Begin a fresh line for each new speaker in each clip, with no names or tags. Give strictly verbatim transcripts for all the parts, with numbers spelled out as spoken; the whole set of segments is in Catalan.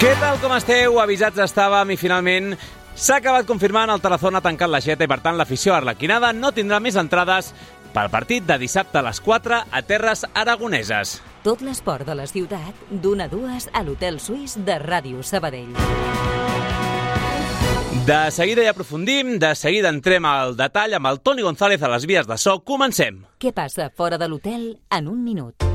Què tal, com esteu? Avisats estàvem i finalment s'ha acabat confirmant el Tarazona ha tancat l'aixeta i per tant l'afició arlequinada no tindrà més entrades pel partit de dissabte a les quatre a terres aragoneses.
Tot l'esport de la ciutat d'una a dues a l'Hotel Suís de Ràdio Sabadell.
De seguida hi aprofundim, de seguida entrem al detall amb el Toni González a les vies de so. Comencem.
Què passa fora de l'hotel en un minut?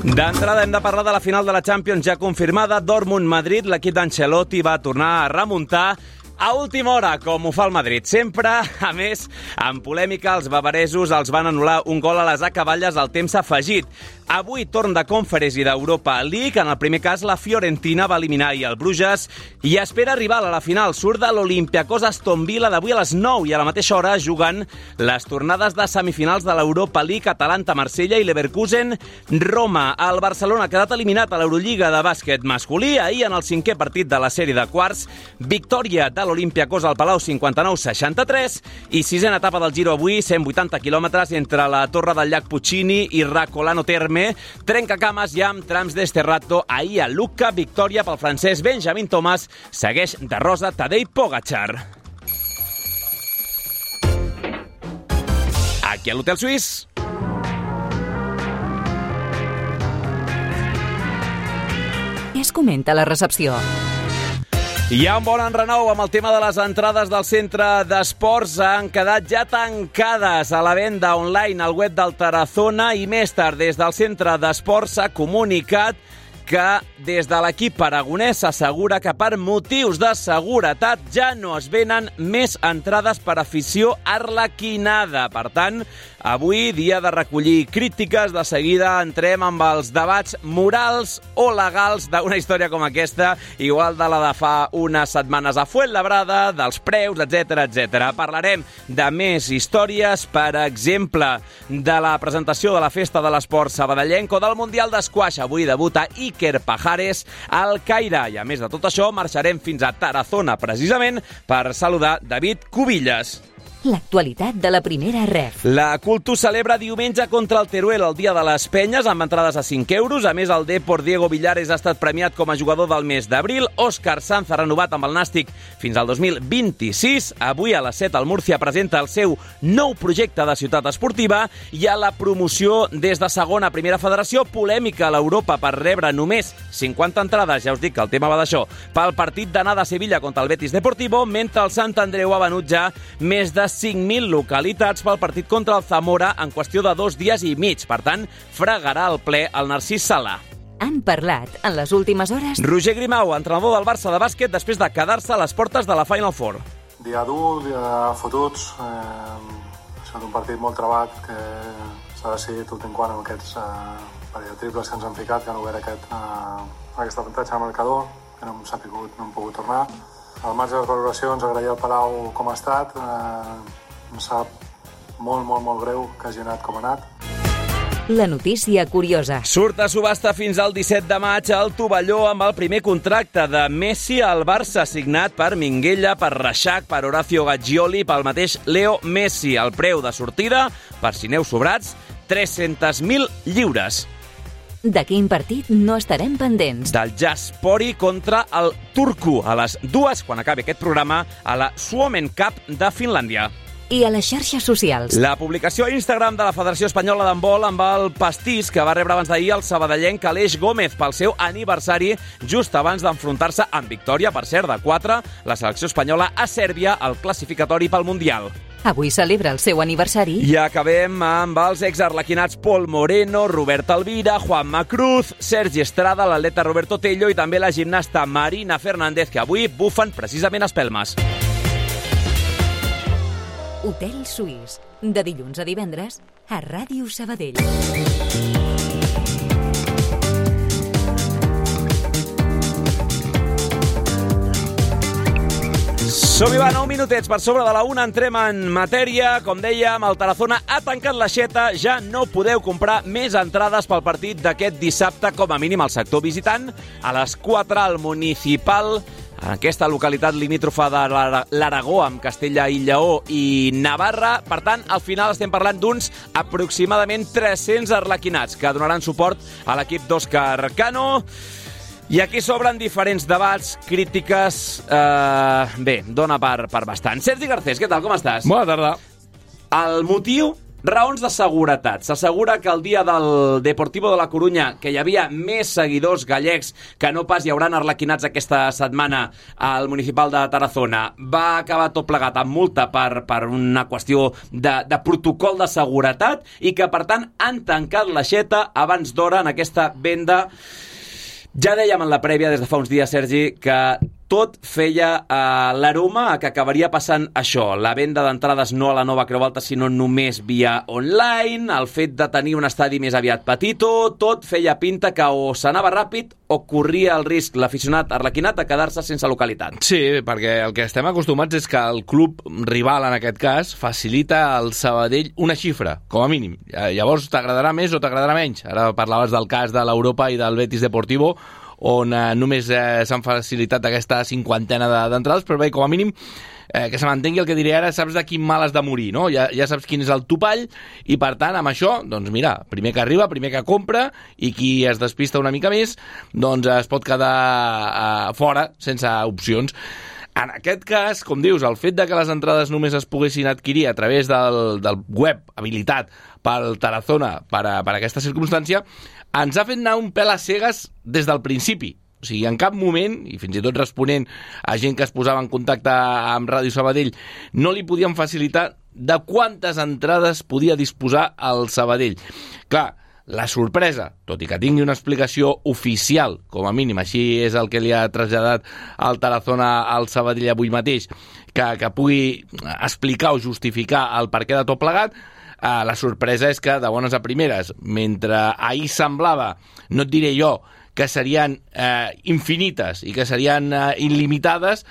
D'entrada hem de parlar de la final de la Champions ja confirmada. Dortmund-Madrid, l'equip d'Ancelotti va tornar a remuntar a última hora, com ho fa el Madrid. Sempre, a més, amb polèmica, els bavaresos els van anul·lar un gol a les acaballes al temps afegit. Avui torn de Conference i d'Europa League. En el primer cas, la Fiorentina va eliminar i el Bruges i espera rival a la final. Surt de l'Olympiacos Aston Villa d'avui a les nou i a la mateixa hora juguen les tornades de semifinals de l'Europa League, Atalanta-Marsella i Leverkusen-Roma. El Barcelona ha quedat eliminat a l'Eurolliga de bàsquet masculí. Ahir, en el cinquè partit de la sèrie de quarts, victòria de l'Olympiacos al Palau cinquanta-nou seixanta-tres i sisena etapa del Giro avui, cent vuitanta quilòmetres entre la Torre del Llac Puccini i Racolano Terme. Trencacames ja amb trams d'Esterrato. Ahir a Lucca, victòria pel francès Benjamin Thomas. Segueix de rosa Tadej Pogačar. Aquí a l'Hotel Suís.
Què es comenta a la recepció?
Hi ha un bon enrenou amb el tema de les entrades del centre d'esports. Han quedat ja tancades a la venda online al web del Tarazona i més tard des del centre d'esports s'ha comunicat que des de l'equip aragonès s'assegura que per motius de seguretat ja no es venen més entrades per afició arlequinada. Per tant, avui, dia de recollir crítiques, de seguida entrem amb els debats morals o legals d'una història com aquesta, igual de la de fa unes setmanes a Fuenlabrada, dels preus, etcètera, etcètera. Parlarem de més històries, per exemple, de la presentació de la Festa de l'Esport sabadellenc o del Mundial d'Esquaix. Avui debuta Iker Pajares al Caire. I a més de tot això, marxarem fins a Tarazona, precisament, per saludar David Cubillas.
L'actualitat de la primera ref.
La Cultus celebra diumenge contra el Teruel, el dia de les penyes, amb entrades a cinc euros. A més, el Depor Diego Villares ha estat premiat com a jugador del mes d'abril. Òscar Sanz ha renovat amb el Nàstic fins al dos mil vint-i-sis. Avui a les set el Múrcia presenta el seu nou projecte de ciutat esportiva i a la promoció des de segona primera federació. Polèmica a l'Europa per rebre només cinquanta entrades, ja us dic que el tema va d'això, pel partit d'anada a Sevilla contra el Betis Deportivo, mentre el Sant Andreu ha venut ja més de cinc mil localitats pel partit contra el Zamora en qüestió de dos dies i mig. Per tant, fregarà el ple el Narcís Sala.
Han parlat en les últimes hores
Roger Grimau, entrenador del Barça de bàsquet, després de quedar-se a les portes de la Final Four.
Dia dur, dia fotuts. Eh, ha estat un partit molt trebat que s'ha decidit últim quant amb aquests eh, parell de triples que ens han ficat, que han obert aquest, eh, aquest avantatge al marcador, que no hem sapigut, no hem pogut tornar. Al marge de les valoracions, agrair al Palau com ha estat. Eh, em sap molt, molt, molt greu que hagi anat com ha anat.
la notícia curiosa.
Surt a subhasta fins al disset de maig al Tovalló amb el primer contracte de Messi al Barça, signat per Minguella, per Reixac, per Horacio Gaggioli, pel mateix Leo Messi. El preu de sortida, per si aneu sobrats, tres-cents mil lliures.
De quin partit no estarem pendents?
Del Jaspori contra el Turku, a les dues, quan acabi aquest programa, a la Suomen Cup de Finlàndia.
I a les xarxes socials.
La publicació a Instagram de la Federació Espanyola d'Handbol amb el pastís que va rebre abans d'ahir el sabadellenc Aleix Gómez pel seu aniversari, just abans d'enfrontar-se amb victòria, per cert, de quatre, la selecció espanyola a Sèrbia al classificatori pel Mundial.
Avui celebra el seu aniversari.
I acabem amb els exarlequinats Pol Moreno, Robert Alvira, Juanma Cruz, Sergi Estrada, l'atleta Roberto Tello i també la gimnasta Marina Fernández, que avui bufen precisament espelmes.
Hotel Suís, de dilluns a divendres, a Ràdio Sabadell.
Som-hi, va, nou minutets per sobre de la una, entrem en matèria. Com dèiem, el Tarazona ha tancat l'aixeta, ja no podeu comprar més entrades pel partit d'aquest dissabte, com a mínim al sector visitant, a les quatre al Municipal en aquesta localitat limítrofa de l'Aragó, amb Castella i Lleó i Navarra. Per tant, al final estem parlant d'uns aproximadament tres-cents arlequinats que donaran suport a l'equip d'Òscar Cano. I aquí s'obren diferents debats, crítiques... Eh, bé, dona per, per bastant. Sergi Garcés, què tal, com estàs?
Bona tarda.
El motiu... Raons de seguretat. S'assegura que el dia del Deportivo de la Corunya, que hi havia més seguidors gallecs que no pas hi hauran arlequinats aquesta setmana al Municipal de Tarazona, va acabar tot plegat amb multa per, per una qüestió de, de protocol de seguretat i que, per tant, han tancat l'aixeta abans d'hora en aquesta venda. Ja dèiem en la prèvia, des de fa uns dies, Sergi, que tot feia uh, l'aroma a que acabaria passant això, la venda d'entrades no a la nova Creu Alta, sinó només via online, el fet de tenir un estadi més aviat petito, tot feia pinta que o s'anava ràpid o corria el risc l'aficionat arlequinat a quedar-se sense localitat.
Sí, perquè el que estem acostumats és que el club rival, en aquest cas, facilita al Sabadell una xifra, com a mínim. Llavors t'agradarà més o t'agradarà menys. Ara parlaves del cas de l'Europa i del Betis Deportivo, on eh, només eh, s'han facilitat aquesta cinquantena d'entrades, però bé, com a mínim, eh, que se m'entengui el que diré ara, saps de quin mal has de morir, no? Ja, ja saps quin és el topall, i per tant, amb això, doncs mira, primer que arriba, primer que compra, i qui es despista una mica més, doncs es pot quedar eh, fora, sense opcions. En aquest cas, com dius, el fet de que les entrades només es poguessin adquirir a través del, del web habilitat pel Tarazona per, a, per a aquesta circumstància, ens ha fet anar un pèl a cegues des del principi. O sigui, en cap moment, i fins i tot responent a gent que es posava en contacte amb Ràdio Sabadell, no li podien facilitar de quantes entrades podia disposar el Sabadell. Clar, la sorpresa, tot i que tingui una explicació oficial, com a mínim, així és el que li ha traslladat al Tarazona al Sabadell avui mateix, que, que pugui explicar o justificar el perquè de tot plegat, Uh, la sorpresa és que, de bones a primeres, mentre ahir semblava, no et diré jo, que serien uh, infinites i que serien uh, il·limitades,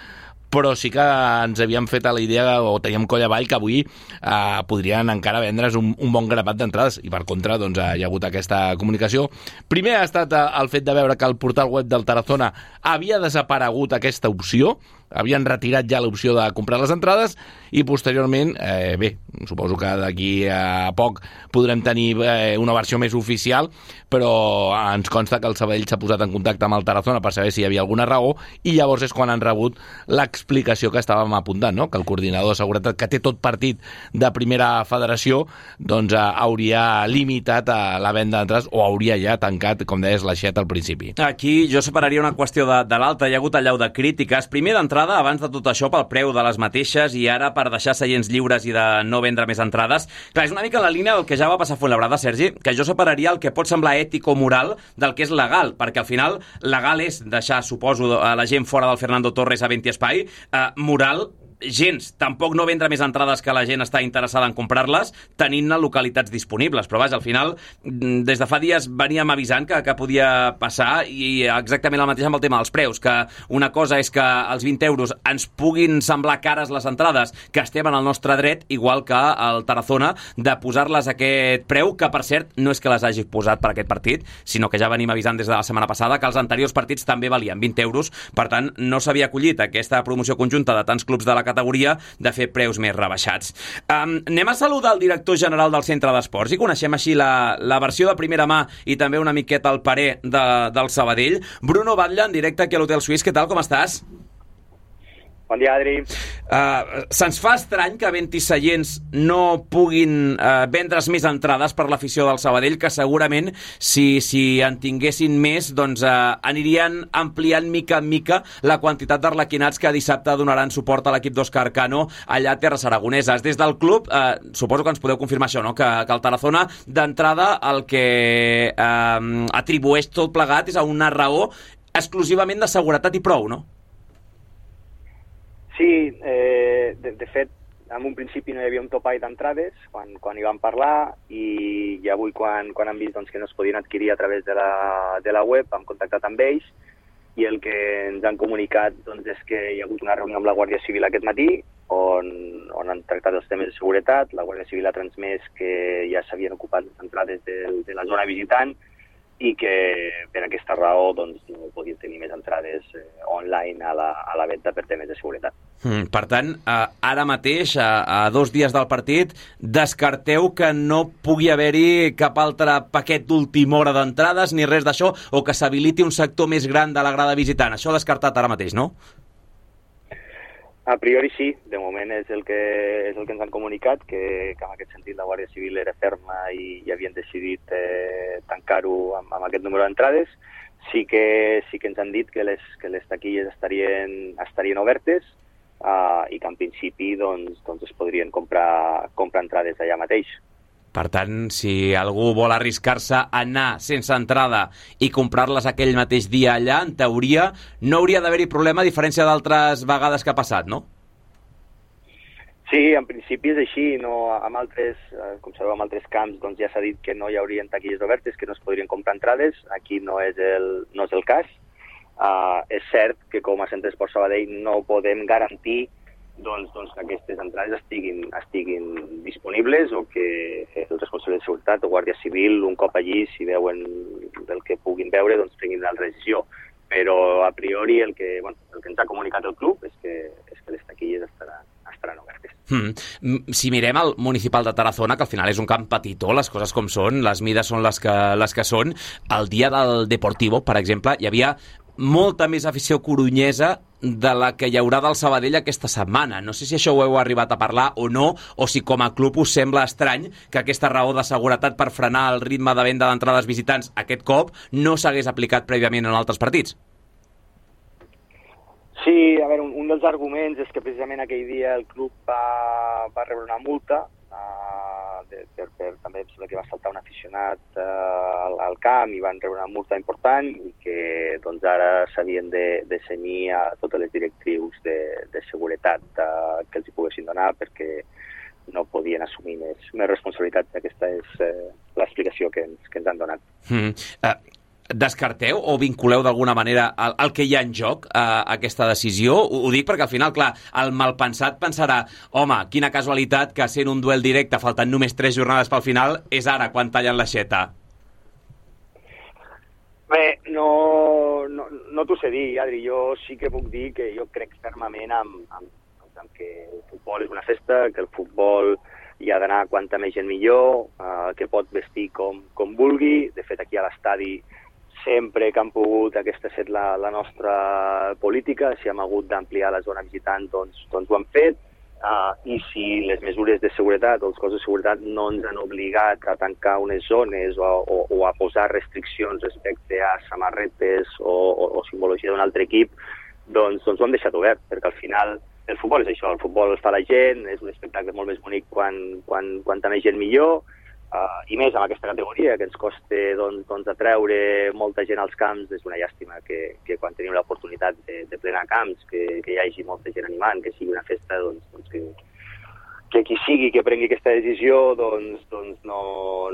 però sí que ens havíem fet a la idea, o teníem coll avall, que avui eh, podrien encara vendre's un, un bon grapat d'entrades, i per contra doncs, hi ha hagut aquesta comunicació. Primer ha estat eh, el fet de veure que el portal web del Tarazona havia desaparegut aquesta opció, havien retirat ja l'opció de comprar les entrades, i posteriorment, eh, bé, suposo que d'aquí a poc podrem tenir eh, una versió més oficial, però ens consta que el Sabadell s'ha posat en contacte amb el Tarazona per saber si hi havia alguna raó, i llavors és quan han rebut l'explicació que estàvem apuntant, no? Que el coordinador de seguretat, que té tot partit de primera federació, doncs eh, hauria limitat a la venda d'entrades, o hauria ja tancat, com deies, l'aixeta al principi.
Aquí jo separaria una qüestió de, de l'altra. Hi ha hagut allau de crítiques. Primer d'entrada, abans de tot això, pel preu de les mateixes, i ara per deixar seients lliures i de no vendre més entrades. Clar, és una mica en la línia del que ja va passar a Fuenlabrada, Sergi, que jo separaria el que pot semblar ètic o moral del que és legal, perquè al final legal és deixar, suposo, a la gent fora del Fernando Torres a Venti Espai, eh, moral gens, tampoc no vendre més entrades que la gent està interessada en comprar-les, tenint-ne localitats disponibles, però vaja, al final des de fa dies veníem avisant que, que podia passar, i exactament el mateix amb el tema dels preus, que una cosa és que els vint euros ens puguin semblar cares les entrades, que estem en el nostre dret, igual que el Tarazona, de posar-les a aquest preu, que per cert no és que les hagi posat per aquest partit, sinó que ja venim avisant des de la setmana passada que els anteriors partits també valien vint euros, per tant no s'havia acollit aquesta promoció conjunta de tants clubs de la categoria de fer preus més rebaixats. Um, anem a saludar el director general del Centre d'Esports i coneixem així la, la versió de primera mà i també una miqueta el parer de, del Sabadell. Bruno Batlle, en directe aquí a l'Hotel Suís. Què tal, com estàs?
Bon dia, Adri.
Uh, se'ns fa estrany que Venti seients no puguin uh, vendre's més entrades per l'afició del Sabadell, que segurament si, si en tinguessin més doncs uh, anirien ampliant mica en mica la quantitat d'arlequinats que dissabte donaran suport a l'equip d'Òscar Cano allà a Terres Aragoneses. Des del club, uh, suposo que ens podeu confirmar això, no? que, que el Tarazona d'entrada el que uh, atribueix tot plegat és a una raó exclusivament de seguretat i prou, no?
Sí, eh, de, de fet, en un principi no hi havia un topall d'entrades quan, quan hi vam parlar, i, i avui quan, quan han vist doncs, que no es podien adquirir a través de la, de la web, hem contactat amb ells, i el que ens han comunicat doncs, és que hi ha hagut una reunió amb la Guàrdia Civil aquest matí on, on han tractat els temes de seguretat. La Guàrdia Civil ha transmès que ja s'havien ocupat les entrades de, de la zona visitant, i que per aquesta raó doncs, no podien tenir més entrades eh, online a la, a la venda per temes de seguretat.
Mm, per tant, eh, ara mateix, a, a dos dies del partit, descarteu que no pugui haver-hi cap altre paquet d'última hora d'entrades ni res d'això, o que s'habiliti un sector més gran de la grada visitant. Això descartat ara mateix, no?
A priori sí, de moment és el que, és el que ens han comunicat, que, que en aquest sentit la Guàrdia Civil era ferma i, i havien decidit eh, tancar-ho amb, amb aquest número d'entrades. Sí que, sí que ens han dit que les, que les taquilles estarien, estarien obertes uh, i que en principi doncs, doncs es podrien comprar, comprar entrades allà mateix.
Per tant, si algú vol arriscar-se a anar sense entrada i comprar-les aquell mateix dia allà, en teoria no hauria d'haver-hi problema, a diferència d'altres vegades que ha passat, no?
Sí, en principi és així. No, amb altres, com sabeu, amb altres camps doncs ja s'ha dit que no hi haurien taquilles obertes, que no es podrien comprar entrades. Aquí no és el, no és el cas. Uh, és cert que com a Centre Esport Sabadell no podem garantir doncs, doncs que aquestes entrades estiguin, estiguin disponibles o que els responsables de seguretat o Guàrdia Civil, un cop allí, si veuen el que puguin veure, doncs prenguin la decisió. Però a priori el que, bueno, el que ens ha comunicat el club és que, és que les taquilles estaran, estaran obertes.
Hmm. Si mirem el municipal de Tarazona, que al final és un camp petitó, les coses com són, les mides són les que, les que són, el dia del Deportivo, per exemple, hi havia molta més afició corunyesa de la que hi haurà del Sabadell aquesta setmana. No sé si això ho heu arribat a parlar o no, o si com a club us sembla estrany que aquesta raó de seguretat per frenar el ritme de venda d'entrades visitants aquest cop no s'hagués aplicat prèviament en altres partits.
Sí, a veure, un, un dels arguments és que precisament aquell dia el club va, va rebre una multa uh, de, per, per, també em sembla que va saltar un aficionat uh, al, al camp i van rebre una multa important i que doncs ara s'havien de, de cenyir a totes les directrius de, de seguretat uh, que els hi poguessin donar perquè no podien assumir més, més responsabilitats. Aquesta és uh, l'explicació que ens, que ens han donat.
Mm. Uh, descarteu o vinculeu d'alguna manera el, el que hi ha en joc a, a aquesta decisió? Ho, ho dic perquè al final, clar, el malpensat pensarà, home, quina casualitat que sent un duel directe faltant només tres jornades pel final és ara quan tallen l'aixeta.
Bé, no, no, no t'ho sé dir, Adri. Jo sí que puc dir que jo crec fermament amb, amb, amb que el futbol és una festa, que el futbol hi ha d'anar quanta més gent millor, eh, que pot vestir com, com vulgui. De fet, aquí a l'estadi sempre que han pogut, aquesta ha estat la, la nostra política, si hem hagut d'ampliar la zona visitant, doncs, doncs ho hem fet, uh, i si les mesures de seguretat o els cossos de seguretat no ens han obligat a tancar unes zones o, o, o a posar restriccions respecte a samarretes o, o, o simbologia d'un altre equip, doncs, doncs ho hem deixat obert, perquè al final el futbol és això, el futbol el fa la gent, és un espectacle molt més bonic quan, quan, quanta més gent millor, Uh, i més amb aquesta categoria que ens costa doncs, doncs, atreure molta gent als camps. És una llàstima que, que quan tenim l'oportunitat de, de plenar camps, que, que hi hagi molta gent animant, que sigui una festa, doncs, doncs que, que qui sigui que prengui aquesta decisió doncs, doncs no,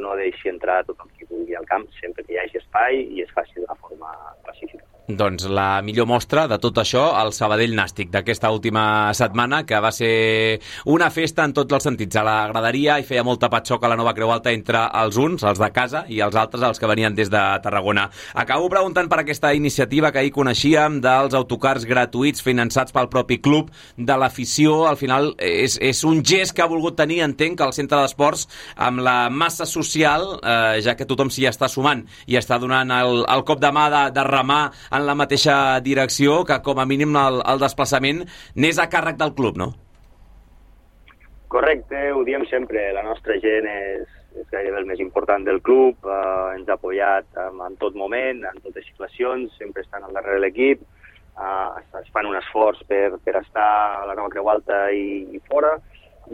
no deixi entrar tothom qui vulgui al camp, sempre que hi hagi espai i es faci d'una forma pacífica.
Doncs la millor mostra de tot això, el Sabadell Nàstic d'aquesta última setmana, que va ser una festa en tots els sentits. A la graderia hi feia molta patxoca a la Nova Creu Alta entre els uns, els de casa, i els altres, els que venien des de Tarragona. Acabo preguntant per aquesta iniciativa que ahir coneixíem dels autocars gratuïts finançats pel propi club, de l'afició. Al final és, és un gest que ha volgut tenir, entenc, el centre d'esports amb la massa social, eh, ja que tothom s'hi està sumant i està donant el, el cop de mà de, de remar en la mateixa direcció, que com a mínim el, el desplaçament n'és a càrrec del club, no?
Correcte, ho diem sempre, la nostra gent és, és gairebé el més important del club, eh, ens ha apoyat en, en tot moment, en totes situacions, sempre estan al darrere de l'equip, eh, es fan un esforç per, per estar a la Nova Creu Alta i, i fora,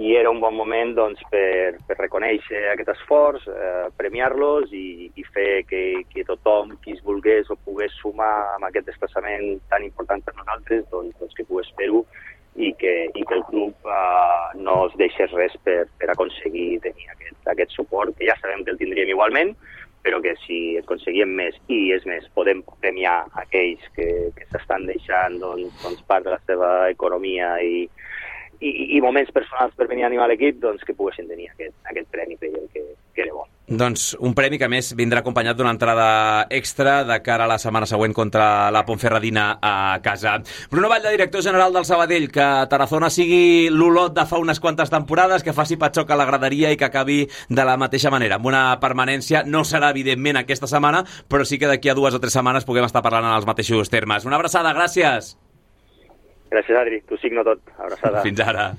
i era un bon moment doncs, per, per reconèixer aquest esforç, eh, premiar-los i, i fer que, que tothom qui es volgués o pogués sumar amb aquest desplaçament tan important per nosaltres, doncs, doncs que pogués fer-ho i que, i que el club eh, no es deixés res per, per aconseguir tenir aquest, aquest suport, que ja sabem que el tindríem igualment, però que si aconseguíem més i, és més, podem premiar aquells que, que s'estan deixant doncs, doncs part de la seva economia i i, i moments personals per venir a animar l'equip, doncs que poguessin tenir aquest, aquest premi, creiem que, que era bo.
Doncs un premi que, a més, vindrà acompanyat d'una entrada extra de cara a la setmana següent contra la Ponferradina a casa. Bruno Batlle, director general del Sabadell, que Tarazona sigui l'Olot de fa unes quantes temporades, que faci patxoc a la graderia i que acabi de la mateixa manera, amb una permanència. No serà, evidentment, aquesta setmana, però sí que d'aquí a dues o tres setmanes puguem estar parlant en els mateixos termes. Una abraçada, gràcies!
Gràcies, Adri. T'ho signo tot. Abraçada.
Fins ara.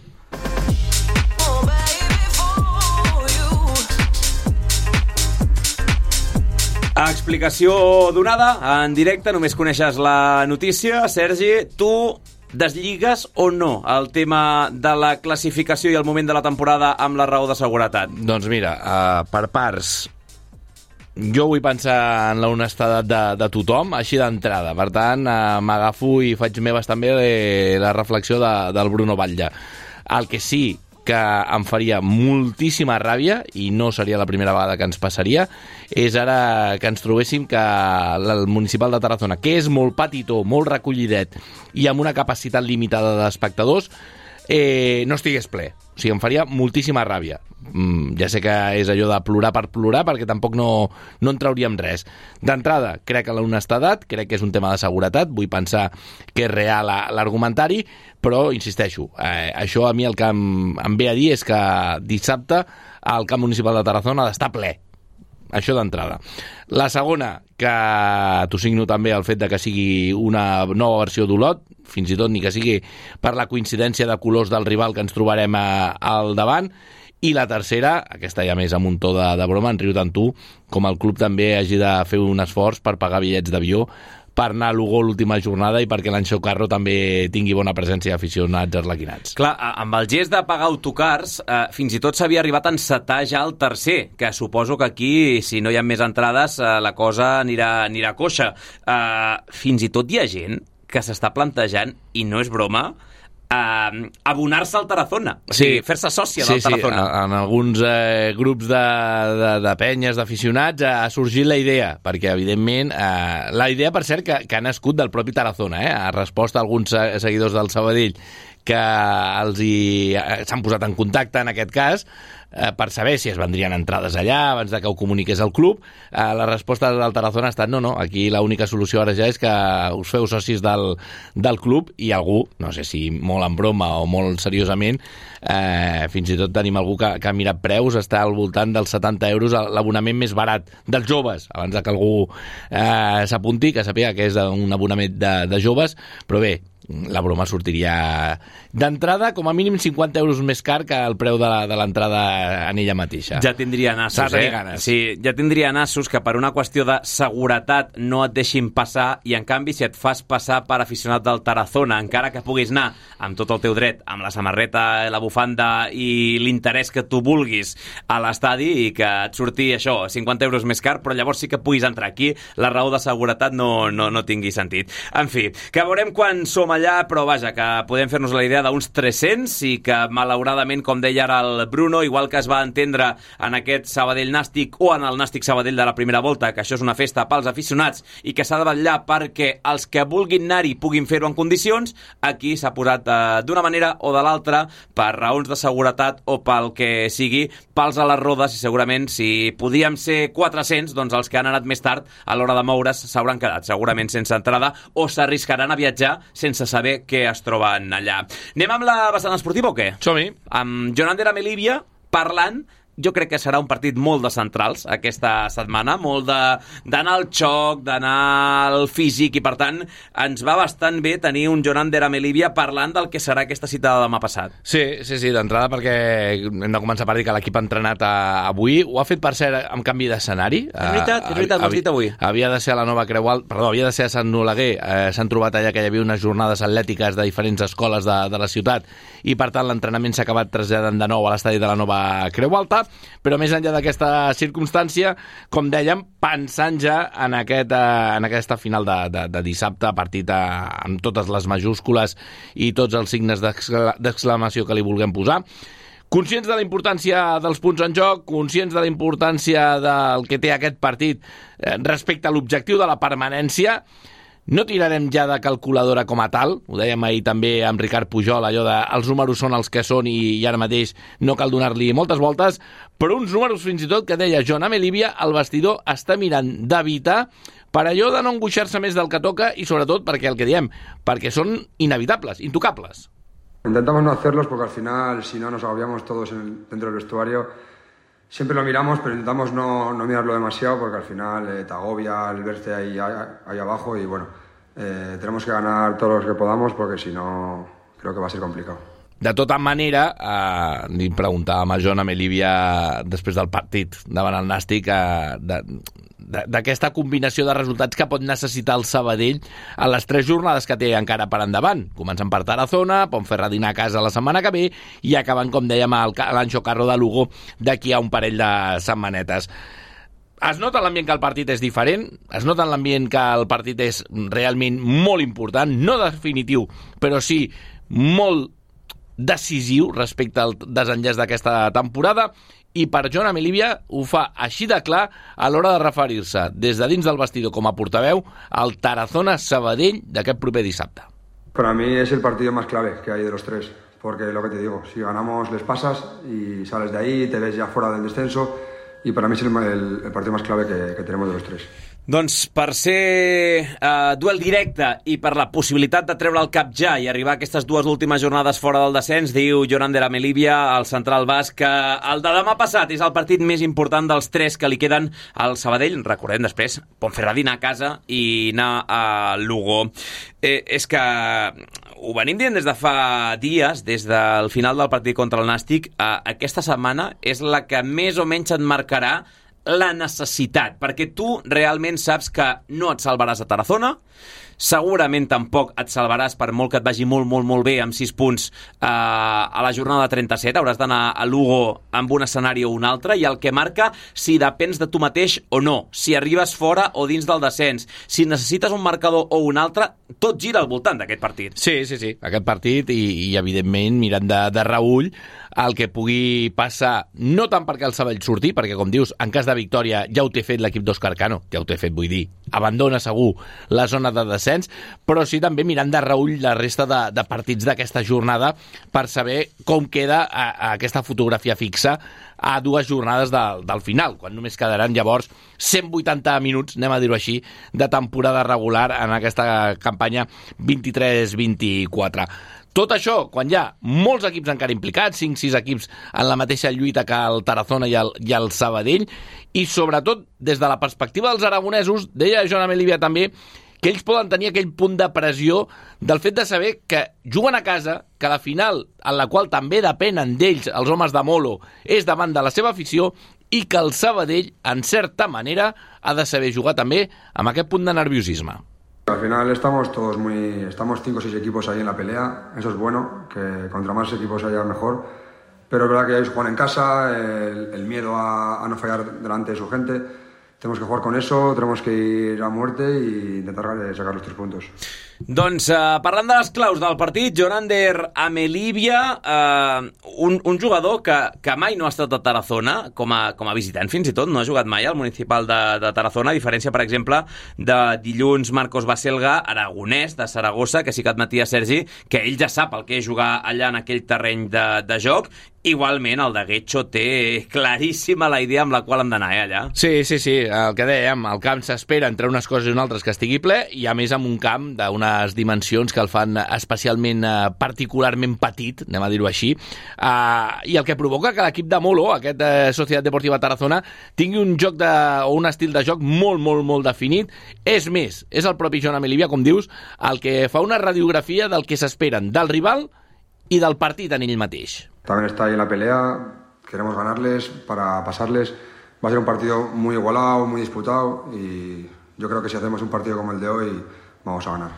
Explicació donada en directe, només coneixes la notícia. Sergi, tu deslliguen o no el tema de la classificació i el moment de la temporada amb la raó de seguretat?
Doncs mira, uh, per parts, jo vull pensar en la honestedat de, de tothom, així d'entrada. Per tant, uh, m'agafo i faig meves també eh, la reflexió de, del Bruno Batlle. El que sí que em faria moltíssima ràbia, i no seria la primera vegada que ens passaria, és ara que ens trobéssim que el municipal de Tarazona, que és molt petitó, molt recollidet i amb una capacitat limitada d'espectadors, eh, no estigués ple. O sigui, em faria moltíssima ràbia. Mm, ja sé que és allò de plorar per plorar, perquè tampoc no, no en trauríem res. D'entrada, crec que l'honestedat, crec que és un tema de seguretat, vull pensar que és real l'argumentari, però, insisteixo, eh, això a mi el que em, em ve a dir és que dissabte el camp municipal de Tarazona ha d'estar ple. Això d'entrada. La segona, que t'ho signo també el fet de que sigui una nova versió d'Olot, fins i tot ni que sigui per la coincidència de colors del rival que ens trobarem a, al davant. I la tercera, aquesta ja més amb un to de, de broma, en riu tant tu, com el club també hagi de fer un esforç per pagar bitllets d'avió per anar a Lugo l'última jornada i perquè l'Anxo Carro també tingui bona presència d'aficionats arlequinats.
Clar, amb el gest de pagar autocars, eh, fins i tot s'havia arribat a encetar ja el tercer, que suposo que aquí, si no hi ha més entrades, eh, la cosa anirà, anirà coixa. Eh, fins i tot hi ha gent que s'està plantejant, i no és broma, Uh, abonar-se al Tarazona, o sigui, sí, fer-se sòcia
sí,
del Tarazona.
Sí, en alguns eh, grups de, de, de penyes, d'aficionats, eh, ha sorgit la idea, perquè, evidentment, eh, la idea, per cert, que, que ha nascut del propi Tarazona, eh, ha respost a alguns seguidors del Sabadell que els hi s'han posat en contacte, en aquest cas, eh, per saber si es vendrien entrades allà abans de que ho comuniqués el club. Eh, la resposta del Tarazona ha estat no, no, aquí l'única solució ara ja és que us feu socis del, del club, i algú, no sé si molt en broma o molt seriosament, eh, fins i tot tenim algú que, que ha mirat preus, està al voltant dels setanta euros l'abonament més barat dels joves, abans de que algú eh, s'apunti, que sàpiga que és un abonament de, de joves, però bé, la broma sortiria d'entrada com a mínim cinquanta euros més car que el preu de l'entrada en ella mateixa.
Ja tindria nassos, eh? Sí, ja tindria nassos que per una qüestió de seguretat no et deixin passar, i en canvi si et fas passar per aficionat del Tarazona, encara que puguis anar amb tot el teu dret, amb la samarreta, la bufanda i l'interès que tu vulguis a l'estadi, i que et surti això, cinquanta euros més car, però llavors sí que puguis entrar aquí, la raó de seguretat no, no, no tingui sentit. En fi, que veurem quan som allà, però vaja, que podem fer-nos la idea d'uns tres-cents, i que malauradament, com deia ara el Bruno, igual que es va entendre en aquest Sabadell Nàstic o en el Nàstic Sabadell de la primera volta, que això és una festa pels aficionats i que s'ha de vetllar perquè els que vulguin anar-hi puguin fer-ho en condicions, aquí s'ha posat eh, d'una manera o de l'altra, per raons de seguretat o pel que sigui, pals a les rodes, i segurament si podíem ser quatre-cents, doncs els que han anat més tard a l'hora de moure's s'hauran quedat segurament sense entrada o s'arriscaran a viatjar sense saber què es troben allà. Anem amb la vessant esportiva o què?
Som-hi.
Amb Jonander Amelívia parlant. Jo crec que serà un partit molt de centrals aquesta setmana, molt d'anar al xoc, d'anar al físic, i per tant ens va bastant bé tenir un Jonander Amelívia parlant del que serà aquesta cita de demà passat.
Sí, sí, sí, d'entrada, perquè hem de començar per dir que l'equip ha entrenat a, avui, ho ha fet per cert amb canvi d'escenari.
És veritat, és veritat, ho has dit avui.
Havia de ser a la nova Creu Alta, perdó, havia de ser a Sant Oleguer, eh, s'han trobat allà que hi havia unes jornades atlètiques de diferents escoles de, de la ciutat, i per tant l'entrenament s'ha acabat traslladant de nou a l'estadi de la nova Creu Alta. Però més enllà d'aquesta circumstància, com dèiem, pensant ja en, aquest, en aquesta final de, de, de dissabte, partit amb totes les majúscules i tots els signes d'exclamació que li vulguem posar, conscients de la importància dels punts en joc, conscients de la importància del que té aquest partit respecte a l'objectiu de la permanència, No tirarem ja de calculadora com a tal, ho dèiem ahir també amb Ricard Pujol, allò de els números són els que són i, i ara mateix no cal donar-li moltes voltes, però uns números fins i tot que deia Joan Amelivia, el vestidor està mirant d'evitar per allò de no angoixar-se més del que toca i sobretot perquè el que diem, perquè són inevitables, intocables.
Intentamos no hacerlos porque al final, si no nos agobiamos todos en el, dentro del vestuario, siempre lo miramos, pero intentamos no, no mirarlo demasiado porque al final eh, te agobia el verte ahí, ahí abajo y bueno, eh, tenemos que ganar todos los que podamos porque si no creo que va a ser complicado.
De tota manera, eh, li preguntàvem a Joan Amelivia després del partit davant el Nàstic eh, de, d'aquesta combinació de resultats que pot necessitar el Sabadell a les tres jornades que té encara per endavant. Comencen per Tarazona, Ponferradina a casa la setmana que ve i acabant, com dèiem, a l'Anxo Carro de Lugo d'aquí a un parell de setmanetes. Es nota l'ambient que el partit és diferent, es nota l'ambient que el partit és realment molt important, no definitiu, però sí molt decisiu respecte al desenllaç d'aquesta temporada, i per Joan Amelivia ho fa així de clar a l'hora de referir-se des de dins del vestidor com a portaveu al Tarazona-Sabadell d'aquest proper dissabte.
Para mí es el partido más clave que hay de los tres, porque lo que te digo, si ganamos les pasas y sales de ahí, te ves ya fuera del descenso, y para mí es el, el, el partido más clave que, que tenemos de los tres.
Doncs per ser eh, duel directe i per la possibilitat de treure el cap ja i arribar a aquestes dues últimes jornades fora del descens, diu Joan Amelivia, el central basc, que el de demà passat és el partit més important dels tres que li queden al Sabadell. Recordem després, Ponferradina a casa i anar a Lugo. Eh, és que ho venim dient des de fa dies, des del final del partit contra el Nàstic. Eh, aquesta setmana és la que més o menys et marcarà la necessitat, perquè tu realment saps que no et salvaràs a Tarazona, segurament tampoc et salvaràs, per molt que et vagi molt, molt, molt bé amb sis punts eh, a la jornada trenta-set, hauràs d'anar a Lugo amb un escenari o un altre, i el que marca si depens de tu mateix o no, si arribes fora o dins del descens, si necessites un marcador o un altre, tot gira al voltant d'aquest partit.
Sí, sí, sí, aquest partit i, i evidentment mirant de, de reüll el que pugui passar, no tant perquè el Sabadell surti, perquè com dius, en cas de victòria ja ho té fet l'equip d'Òscar Cano, ja ho té fet, vull dir, abandona segur la zona de descens, però sí també mirant de reüll la resta de, de partits d'aquesta jornada per saber com queda a, a aquesta fotografia fixa a dues jornades de, del final, quan només quedaran llavors cent vuitanta minuts, anem a dir-ho així, de temporada regular en aquesta campanya vint-i-tres vint-i-quatre. Tot això, quan hi ha molts equips encara implicats, cinc sis equips en la mateixa lluita que el Tarazona i el, i el Sabadell, i sobretot des de la perspectiva dels aragonesos, deia Joan Amelivia també, que ells poden tenir aquell punt de pressió del fet de saber que juguen a casa, que la final, en la qual també depenen d'ells, els homes de Molo, és davant de la seva afició, i que el Sabadell, en certa manera, ha de saber jugar també amb aquest punt de nerviosisme.
Al final estamos todos muy, estamos cinco o seis equipos ahí en la pelea, eso es bueno, que contra más equipos haya mejor, pero es verdad que ellos juegan en casa, el, el miedo a, a no fallar delante de su gente, tenemos que jugar con eso, tenemos que ir a muerte y intentar sacar los tres puntos.
Doncs eh, parlant de les claus del partit, Joan Amelivia, eh, un, un jugador que, que mai no ha estat a Tarazona, com a, com a visitant fins i tot, no ha jugat mai al municipal de, de Tarazona, a diferència, per exemple, de dilluns Marcos Baselga, aragonès, de Saragossa, que sí que admetia Sergi, que ell ja sap el que és jugar allà en aquell terreny de, de joc. Igualment, el de Guecho té claríssima la idea amb la qual hem d'anar, eh, allà.
Sí, sí, sí, el que dèiem, el camp s'espera entre unes coses i unes altres que estigui ple, i a més amb un camp d'unes dimensions que el fan especialment, eh, particularment petit, anem a dir-ho així, eh, i el que provoca que l'equip de Molo, aquest eh, Societat Deportiva Tarazona, tingui un joc de, o un estil de joc molt, molt, molt definit. És més, és el propi Joan Amelivia, com dius, el que fa una radiografia del que s'esperen del rival i del partit en ell mateix.
También está ahí en la pelea, queremos ganarles para pasarles. Va a ser un partido muy igualado, muy disputado y yo creo que si hacemos un partido como el de hoy vamos a ganar.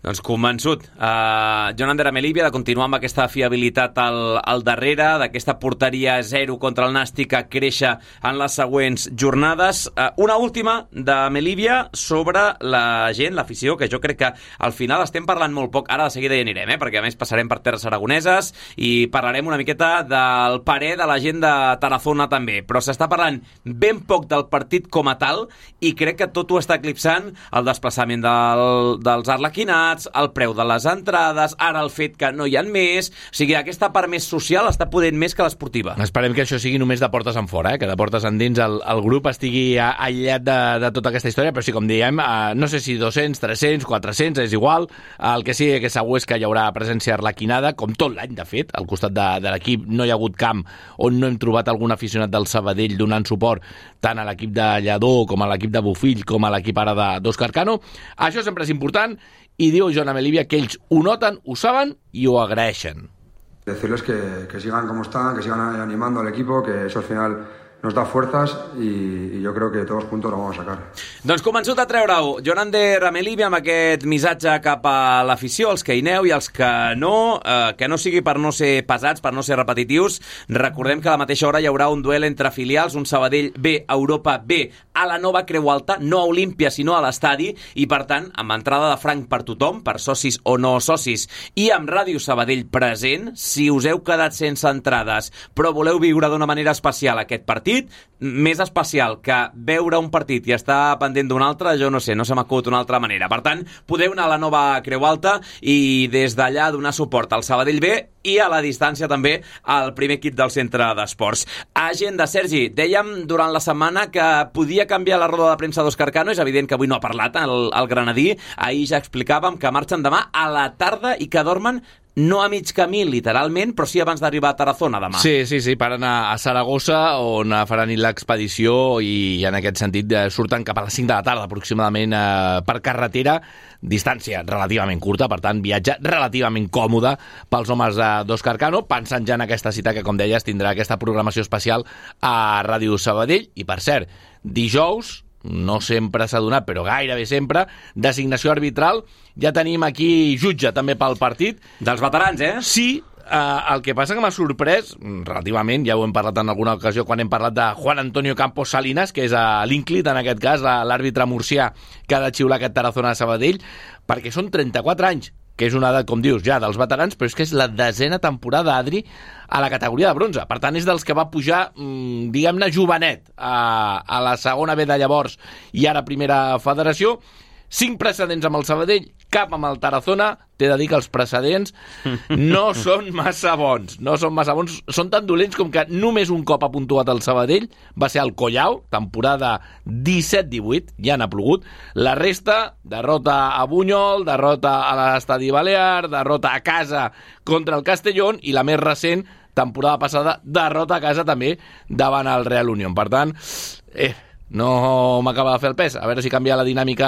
Doncs convençut. Uh, Joan Ander Melilla de continuar amb aquesta fiabilitat al, al darrere, d'aquesta porteria zero contra el Nàstic a créixer en les següents jornades. Uh, una última de Melilla sobre la gent, l'afició, que jo crec que al final estem parlant molt poc. Ara de seguida hi anirem, eh? Perquè a més passarem per terres aragoneses i parlarem una miqueta del parer de la gent de Tarazona també. Però s'està parlant ben poc del partit com a tal i crec que tot ho està eclipsant el desplaçament del, dels arlequinats, el preu de les entrades, ara el fet que no hi ha més, o sigui, aquesta part més social està podent més que l'esportiva.
Esperem que això sigui només de portes en fora, eh? Que de portes endins el, el grup estigui aïllat de, de tota aquesta història, però sí, com diem, eh, no sé si dos-cents, tres-cents, quatre-cents, és igual, el que sí que segur és que hi haurà presència arlequinada, com tot l'any, de fet, al costat de, de l'equip no hi ha hagut camp on no hem trobat algun aficionat del Sabadell donant suport tant a l'equip de Lledó com a l'equip de Bofill com a l'equip ara d'Òscar Cano. Això sempre és important i diu Joan Melilla que ells ho noten, ho saben i ho agraeixen.
Decirles que, que sigan como están, que sigan animando al equipo, que eso al final nos da fuerzas y, y yo creo que todos juntos lo vamos a sacar.
Doncs convençut a treure-ho. Joan Ander Melilla amb aquest missatge cap a l'afició, els que hi aneu i els que no, eh, que no sigui per no ser pesats, per no ser repetitius. Recordem que a la mateixa hora hi haurà un duel entre filials, un Sabadell B, Europa B, a la nova Creu Alta, no a Olímpia, sinó a l'estadi, i per tant, amb entrada de franc per tothom, per socis o no socis, i amb Ràdio Sabadell present, si us heu quedat sense entrades, però voleu viure d'una manera especial aquest partit, més especial que veure un partit i estar pendent d'un altre, jo no sé, no se m'acut d'una altra manera. Per tant, podeu anar a la nova Creu Alta i des d'allà donar suport al Sabadell B i a la distància també al primer equip del centre d'esports. Agenda, Sergi, dèiem durant la setmana que podia canviar la roda de premsa d'Òscar Cano, és evident que avui no ha parlat el, el granadí, ahir ja explicàvem que marxen demà a la tarda i que dormen no a mig camí, literalment, però sí abans d'arribar a Tarazona demà.
Sí, sí, sí, paren a, a Saragossa, on faran l'expedició i en aquest sentit surten cap a les cinc de la tarda, aproximadament eh, per carretera, distància relativament curta, per tant, viatge relativament còmode pels homes d'Òscar Cano, pensant ja en aquesta cita que, com deies, tindrà aquesta programació especial a Ràdio Sabadell. I, per cert, dijous, no sempre s'ha donat, però gairebé sempre, designació arbitral. Ja tenim aquí jutge també pel partit.
Dels veterans, eh?
Sí, eh, el que passa que m'ha sorprès, relativament, ja ho hem parlat en alguna ocasió quan hem parlat de Juan Antonio Campos Salinas, que és l'Inclit, en aquest cas, l'àrbitre murcià que ha de xiular aquest Tarazona a Sabadell, perquè són trenta-quatre anys, que és una edat, com dius, ja dels veterans, però és que és la desena temporada, Adri, a la categoria de bronze. Per tant, és dels que va pujar, mmm, diguem-ne, jovenet a, a la segona B de llavors i ara primera federació. Cinc precedents amb el Sabadell, cap amb el Tarazona. T'he de dir que els precedents no són massa bons. No són massa bons. Són tan dolents com que només un cop ha puntuat el Sabadell, va ser al Collao, temporada disset divuit, ja n'ha plogut. La resta, derrota a Bunyol, derrota a l'Estadi Balear, derrota a casa contra el Castellón i la més recent, temporada passada, derrota a casa també davant el Real Unión. Per tant, eh, no m'acaba de fer el pes. A veure si canvia la dinàmica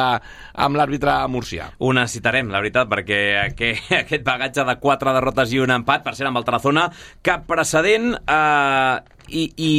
amb l'àrbitre murcià.
Ho necessitarem, la veritat, perquè aquest bagatge de quatre derrotes i un empat, per ser amb el Tarazona, cap precedent. Eh, i, i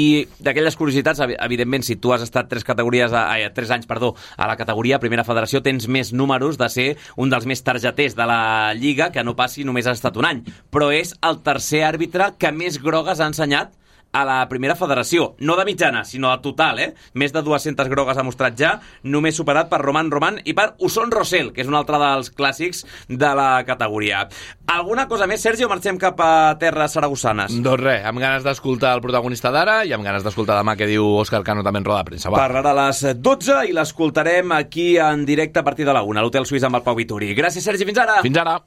d'aquelles curiositats, evidentment, si tu has estat tres categories a, a, tres anys perdó, a la categoria Primera Federació, tens més números de ser un dels més targeters de la Lliga, que no passi només has estat un any. Però és el tercer àrbitre que més grogues ha ensenyat a la Primera Federació, no de mitjana, sinó de total, eh? Més de dues-centes grogues ha mostrat ja, només superat per Román Román i per Usón Rosell, que és un altre dels clàssics de la categoria. Alguna cosa més, Sergi, o marxem cap a terres saragossanes?
Doncs res, amb ganes d'escoltar el protagonista d'ara i amb ganes d'escoltar demà què diu Òscar Cano també en roda de premsa. Va.
Parlarà a les dotze i l'escoltarem aquí en directe a partir de la una, a l'Hotel Suís amb el Pau Vituri. Gràcies, Sergi, fins ara!
Fins ara!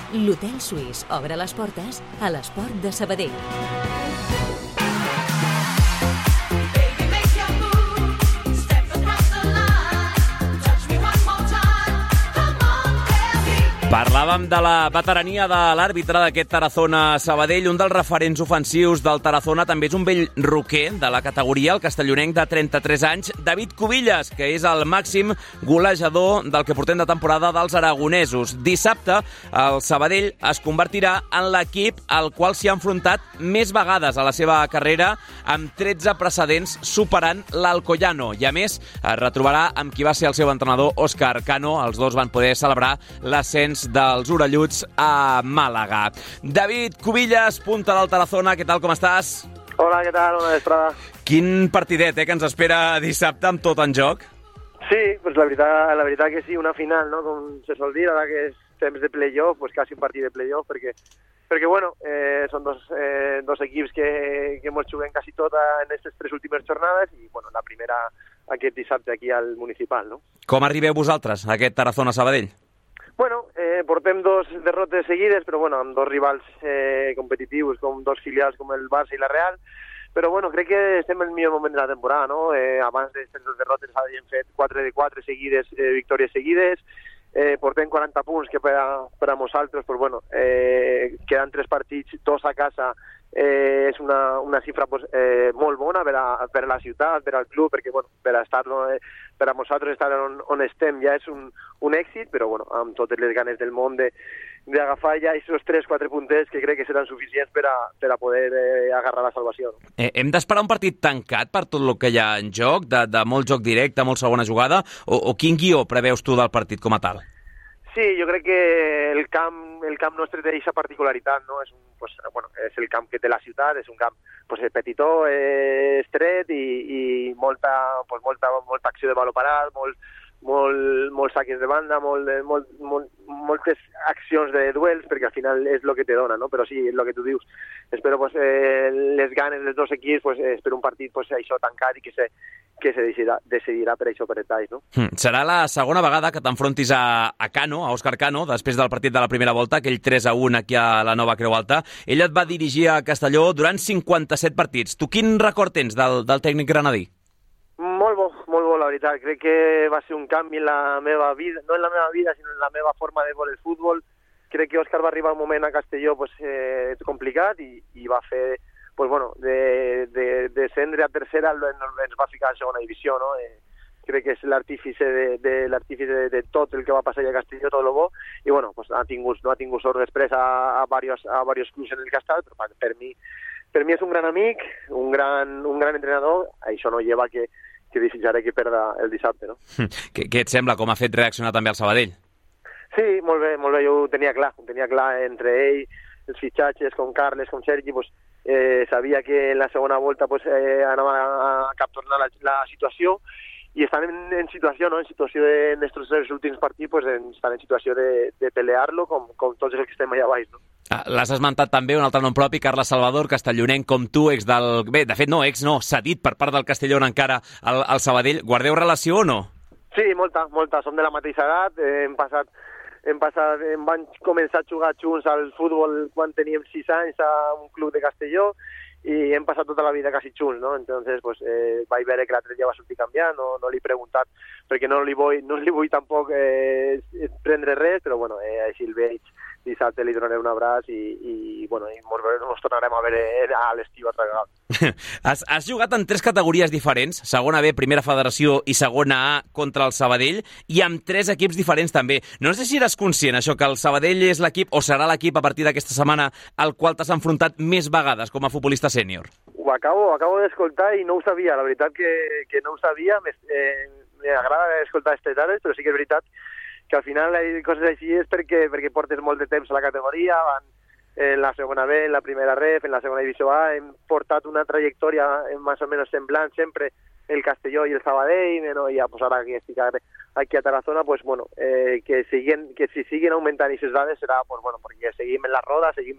L'Hotel Suís obre les portes a l'esport de Sabadell.
Parlàvem de la veterania de l'àrbitre d'aquest Tarazona-Sabadell, un dels referents ofensius del Tarazona, també és un vell roquer de la categoria, el castellonenc de trenta-tres anys, David Cubillas, que és el màxim golejador del que portem de temporada dels aragonesos. Dissabte, el Sabadell es convertirà en l'equip al qual s'hi ha enfrontat més vegades a la seva carrera, amb tretze precedents, superant l'Alcoyano. I a més, es retrobarà amb qui va ser el seu entrenador, Òscar Cano. Els dos van poder celebrar l'ascens dels orelluts a Màlaga. David Cubillas, punta del Tarazona, què tal, com estàs?
Hola, què tal? Bona vesprada.
Quin partidet, eh, que ens espera dissabte amb tot en joc?
Sí, pues la veritat, la veritat que sí, una final, no? Com se sol dir, ara que és temps de playoff, pues quasi un partit de playoff, perquè, perquè bueno, eh, són dos, eh, dos equips que, que mos juguem quasi tot en aquestes tres últimes jornades i, bueno, la primera aquest dissabte aquí al Municipal, no?
Com arribeu vosaltres a aquest Tarazona-Sabadell?
Bueno, eh, portem dos derrotes seguides, però bueno, amb dos rivals eh, competitius, com dos filials com el Barça i la Real, però bueno, crec que estem en el millor moment de la temporada, no? Eh, abans d'aquestes dos derrotes havíem fet quatre de quatre seguides, eh, victòries seguides, eh, portem quaranta punts, que per a, per a nosaltres, pues bueno, eh, queden tres partits, dos a casa, eh, és una, una xifra pues, eh, molt bona per a, per a la ciutat, per al club, perquè bueno, per a estar no, eh, per a nosaltres estar on, on estem ja és un, un èxit, però bueno, amb totes les ganes del món de d'agafar ja aquests tres quatre punters que crec que seran suficients per a, per a poder eh, agarrar la salvació. No?
Eh, hem d'esperar un partit tancat per tot el que hi ha en joc, de, de molt joc directe, molt segona jugada, o, o quin guió preveus tu del partit com a tal?
Sí, jo crec que el camp, el camp nostre té aquesta particularitat, no? És, un, pues, bueno, és el camp que té la ciutat, és un camp pues, petitó, eh, estret i, i molta, pues, molta, molta acció de baló parat, molt, molt, molts saques de banda, molt, molt, molt, moltes accions de duels, perquè al final és el que te dona, no? Però sí, és el que tu dius. Espero pues, eh, les ganes dels dos equips, pues, espero un partit pues, això tancat i que se, que se decidirà, decidirà per això per detalls, no?
Mm. Serà la segona vegada que t'enfrontis a, a Cano, a Òscar Cano, després del partit de la primera volta, aquell tres a un aquí a la Nova Creu Alta. Ell et va dirigir a Castelló durant cinquanta-set partits. Tu quin record tens del, del tècnic granadí?
Molt bo, molt bo, la veritat. Crec que va ser un canvi en la meva vida, no en la meva vida, sinó en la meva forma de veure el futbol. Crec que Òscar va arribar un moment a Castelló pues, eh, complicat i, i va fer, pues, bueno, de, de, de descendre a tercera ens va ficar a segona divisió, no? Eh, crec que és l'artífice de, de, l'artífice de, de tot el que va passar a Castelló, tot el bo, i bueno, pues, ha tingut, no ha tingut sort després a, a, varios, a varios clubs en el que ha estat, però per mi, per mi és un gran amic, un gran, un gran entrenador, això no lleva que que desitjaré que perda el dissabte, no?
Què, què et sembla? Com ha fet reaccionar també el Sabadell?
Sí, molt bé, molt bé, jo ho tenia clar, ho tenia clar entre ell, els fitxatges, com Carles, com Sergi, pues, eh, sabia que en la segona volta pues, eh, anava a captornar la, la situació i estan en, en situació, no? En situació de, en estos tres últims partits, pues, en, estan en situació de, de pelear-lo com, com tots els que estem allà baix, no?
Ah, l'has esmentat també, un altre nom propi, Carles Salvador, castellonenc com tu, ex del... Bé, de fet no, ex no, cedit per part del Castellón encara al, al Sabadell. Guardeu relació o no?
Sí, molta, molta. Som de la mateixa edat, eh, hem passat, hem passat, hem van començar a jugar junts al futbol quan teníem sis anys a un club de Castelló i hem passat tota la vida quasi junts, no? Entonces, pues, eh, vaig veure que l'altre dia va sortir canviant, no, no li he preguntat, perquè no li vull, no li vull tampoc eh, prendre res, però bueno, eh, així el veig, dissabte li donaré un abraç i, i bueno, i ens tornarem a veure a l'estiu altra vegada.
has, has jugat en tres categories diferents, segona B, primera federació i segona A contra el Sabadell, i amb tres equips diferents també. No sé si eres conscient, això, que el Sabadell és l'equip, o serà l'equip a partir d'aquesta setmana al qual t'has enfrontat més vegades com a futbolista sènior?
Ho acabo, ho acabo d'escoltar i no ho sabia, la veritat que, que no ho sabia, m'agrada eh, escoltar aquestes dades, però sí que és veritat que al final hi coses així és perquè, perquè portes molt de temps a la categoria, van en la segona B, en la primera ref, en la segona divisió A, hem portat una trajectòria més o menys semblant sempre el Castelló i el Sabadell, no? I ja, pues, ara que estic aquí a Tarazona, pues, bueno, eh, que, siguen, que si siguen augmentant aquestes dades serà, pues, bueno, perquè seguim en la roda, seguim,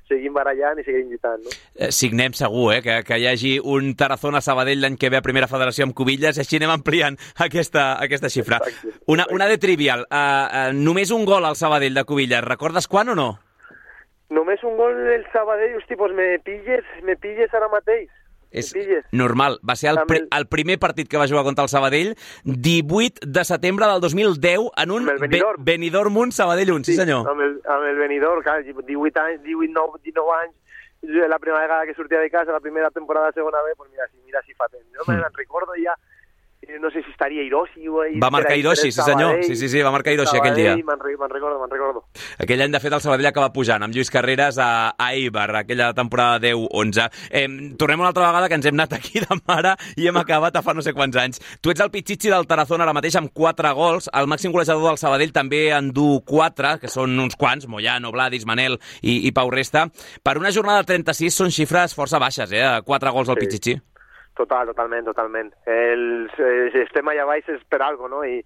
seguim barallant i seguim lluitant, no?
Eh, signem segur, eh, que, que hi hagi un Tarazona-Sabadell l'any que ve a Primera Federació amb Cubillas, així anem ampliant aquesta, aquesta xifra. Exacte. Una, una de trivial, uh, uh, només un gol al Sabadell de Cubillas, recordes quan o no?
Només un gol del Sabadell, hosti, pues me pilles, me pilles ara mateix.
És normal. Va ser el, pre el primer partit que va jugar contra el Sabadell, divuit de setembre del dos mil deu, en un Benidorm, Be Benidorm un, Sabadell un, sí, sí senyor.
Amb el, amb el Benidorm, clar, divuit anys, divuit, dinou anys, la primera vegada que sortia de casa, la primera temporada de segona B, pues mira, si, mira si fa temps. Jo mm. me'n recordo ja, no sé si estaria Hiroshi o...
Va marcar Hiroshi, sí senyor, sí, sí, sí, va marcar Hiroshi aquell dia.
Me'n recordo, me'n recordo.
Aquell any, de fet, el Sabadell acaba pujant amb Lluís Carreras a, a Eibar, aquella temporada deu onze. Eh, tornem una altra vegada, que ens hem anat aquí de mare i hem acabat a fa no sé quants anys. Tu ets el Pichichi del Tarazona ara mateix amb quatre gols, el màxim golejador del Sabadell també en du quatre, que són uns quants, Moyano, Vladis, Manel i, i Pau Resta. Per una jornada de trenta-sis són xifres força baixes, eh? Quatre gols al sí. Pichichi.
Total, totalment, totalment. El, el estem allà baix és per algo, no? I,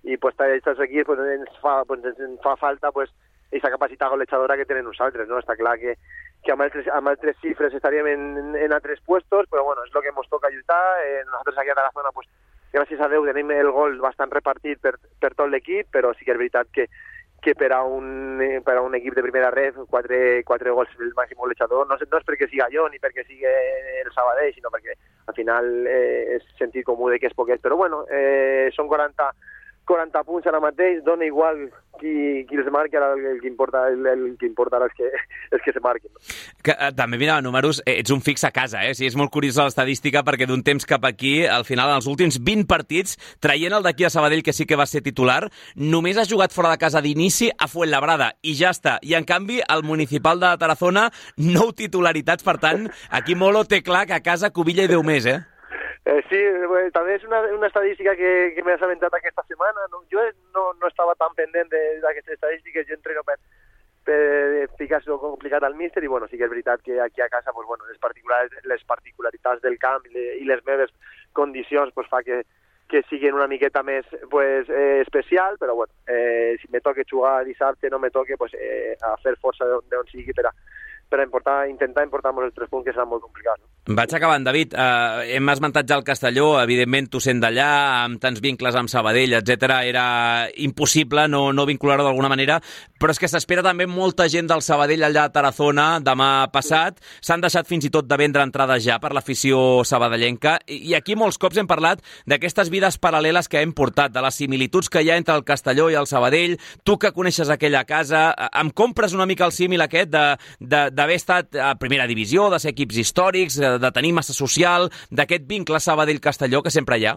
i pues, estàs aquí, pues, ens, fa, pues, ens fa falta pues, aquesta capacitat golejadora que tenen nosaltres, no? Està clar que, que amb, altres, amb altres xifres estaríem en, en altres puestos, però bueno, és el que ens toca lluitar. Eh, nosaltres aquí a Tarazona, pues, gràcies a Déu, tenim el gol bastant repartit per, per tot l'equip, però sí que és veritat que que per a un, per a un equip de primera ref, quatre, quatre gols el màxim golejador, no, no és perquè siga jo ni perquè sigui el Sabadell, sinó perquè al final eh, és sentit comú de que és poquet, però bueno, eh, són quaranta, quaranta punts ara mateix, dona igual qui, qui els marqui, ara el, el que importa, el, el que importa ara és que, és que se marquin.
Que, eh, també, mira, números, eh, ets un fix a casa, eh? O sigui, és molt curiós l'estadística perquè d'un temps cap aquí, al final, en els últims vint partits, traient el d'aquí a Sabadell, que sí que va ser titular, només ha jugat fora de casa d'inici a Fuenlabrada, i ja està. I, en canvi, el municipal de Tarazona, nou titularitats, per tant, aquí Molo té clar que a casa cubilla i Déu més, eh?
Eh, sí, eh, també és una, una estadística que, que m'he assabentat aquesta setmana. No? Jo no, no estava tan pendent d'aquestes estadístiques, jo entreno per, per ficar-s'ho complicat al míster i bueno, sí que és veritat que aquí a casa pues, bueno, les, particulars, les particularitats del camp i, le, i les meves condicions pues, fa que, que siguin una miqueta més pues, eh, especial, però bueno, eh, si me toque jugar dissabte no me toque pues, eh, a fer força d'on sigui per a per importar, intentar importar-nos els tres punts, que serà molt complicat. No?
Vaig acabant, David. Uh, hem esmentat ja el Castelló, evidentment tu sent d'allà, amb tants vincles amb Sabadell, etcètera, era impossible no, no vincular-ho d'alguna manera, però és que s'espera també molta gent del Sabadell allà a Tarazona demà passat. S'han deixat fins i tot de vendre entrades ja per l'afició sabadellenca, i aquí molts cops hem parlat d'aquestes vides paral·leles que hem portat, de les similituds que hi ha entre el Castelló i el Sabadell. Tu que coneixes aquella casa, em compres una mica el símil aquest de, de d'haver estat a primera divisió, de ser equips històrics, de tenir massa social, d'aquest vincle Sabadell-Castelló que sempre hi ha?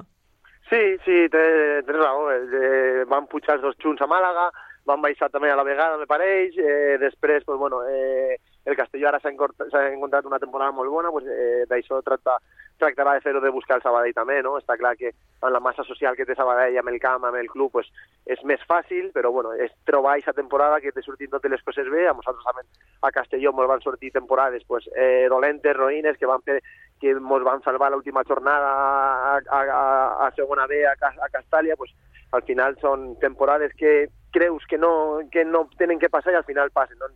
Sí, sí, tens raó. Eh, van pujar els dos junts a Màlaga, van baixar també a la vegada, me pareix. Eh, després, pues, bueno, eh, el Castelló ara s'ha encontrat una temporada molt bona, pues, eh, d'això tracta, tractarà de fer-ho de buscar el Sabadell també, no? Està clar que amb la massa social que té Sabadell amb el camp, amb el club, pues, és més fàcil, però bueno, és trobar aquesta temporada que te surtin totes les coses bé. A nosaltres també a Castelló ens van sortir temporades pues, eh, dolentes, roïnes, que van fer que ens van salvar l'última jornada a, a, a, a segona B a, a Castàlia, pues, al final són temporades que creus que no, que no tenen que passar i al final passen. No?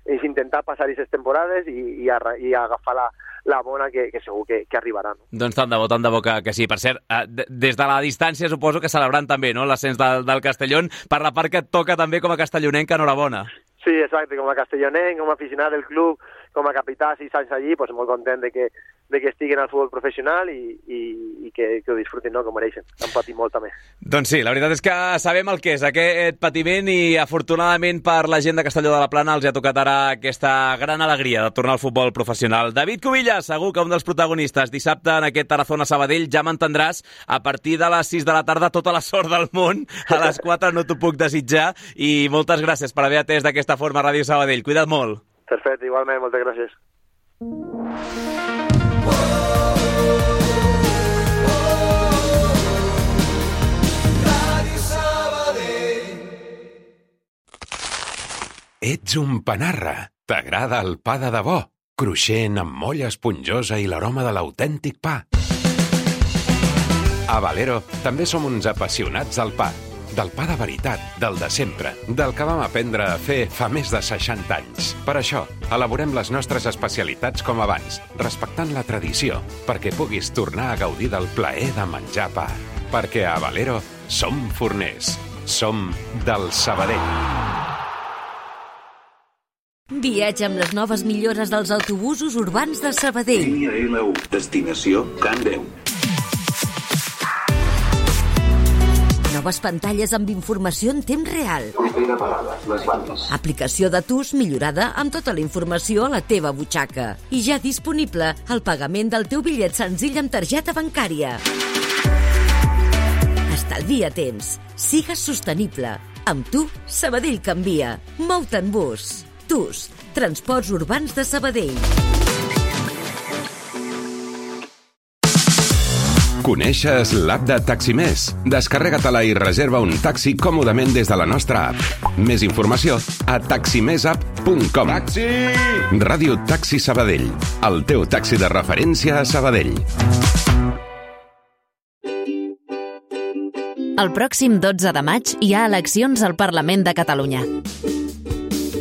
És intentar passar aquestes temporades i, i, a, i agafar la, la bona que, que segur que, que arribarà. No?
Doncs tant de bo, tant de bo que, que sí. Per cert, eh, des de la distància suposo que celebrant també no? L'ascens del, del Castellón, per la part que et toca també com a castellonenc, enhorabona.
Sí, exacte, com a castellonenc, com a aficionat del club, com a capità, sis anys allí, pues, molt content de que, de que estiguen al futbol professional i, i, i que, que ho disfrutin, no?, com mereixen. Han patit molt també.
Doncs sí, la veritat és que sabem el que és aquest patiment i afortunadament per la gent de Castelló de la Plana els ha tocat ara aquesta gran alegria de tornar al futbol professional. David Cubillas, segur que un dels protagonistes dissabte en aquest Tarazona Sabadell, ja m'entendràs, a partir de les sis de la tarda tota la sort del món, a les quatre no t'ho puc desitjar i moltes gràcies per haver atès d'aquesta forma Ràdio Sabadell. Cuida't molt.
Perfecte, igualment, moltes gràcies.
Ets un panarra. T'agrada el pa de debò, cruixent amb molla esponjosa i l'aroma de l'autèntic pa. A Valero també som uns apassionats del pa. Del pa de veritat, del de sempre, del que vam aprendre a fer fa més de seixanta anys. Per això, elaborem les nostres especialitats com abans, respectant la tradició, perquè puguis tornar a gaudir del plaer de menjar pa. Perquè a Valero som forners, som del Sabadell.
Viatja amb les noves millores dels autobusos urbans de Sabadell.
Línia L u, destinació Can Déu.
Noves pantalles amb informació en temps real.
Propera parada, les bandes.
Aplicació de T U S millorada amb tota la informació a la teva butxaca. I ja disponible el pagament del teu bitllet senzill amb targeta bancària. Estalvia temps. Sigues sostenible. Amb tu, Sabadell canvia. Mou-te en bus. T U S, Transports Urbans de Sabadell.
Coneixes l'app de Taximés? Descarrega-te-la i reserva un taxi còmodament des de la nostra app. Més informació a taximessapp punt com. Taxi! Ràdio Taxi Sabadell, el teu taxi de referència a Sabadell.
El pròxim dotze de maig hi ha eleccions al Parlament de Catalunya.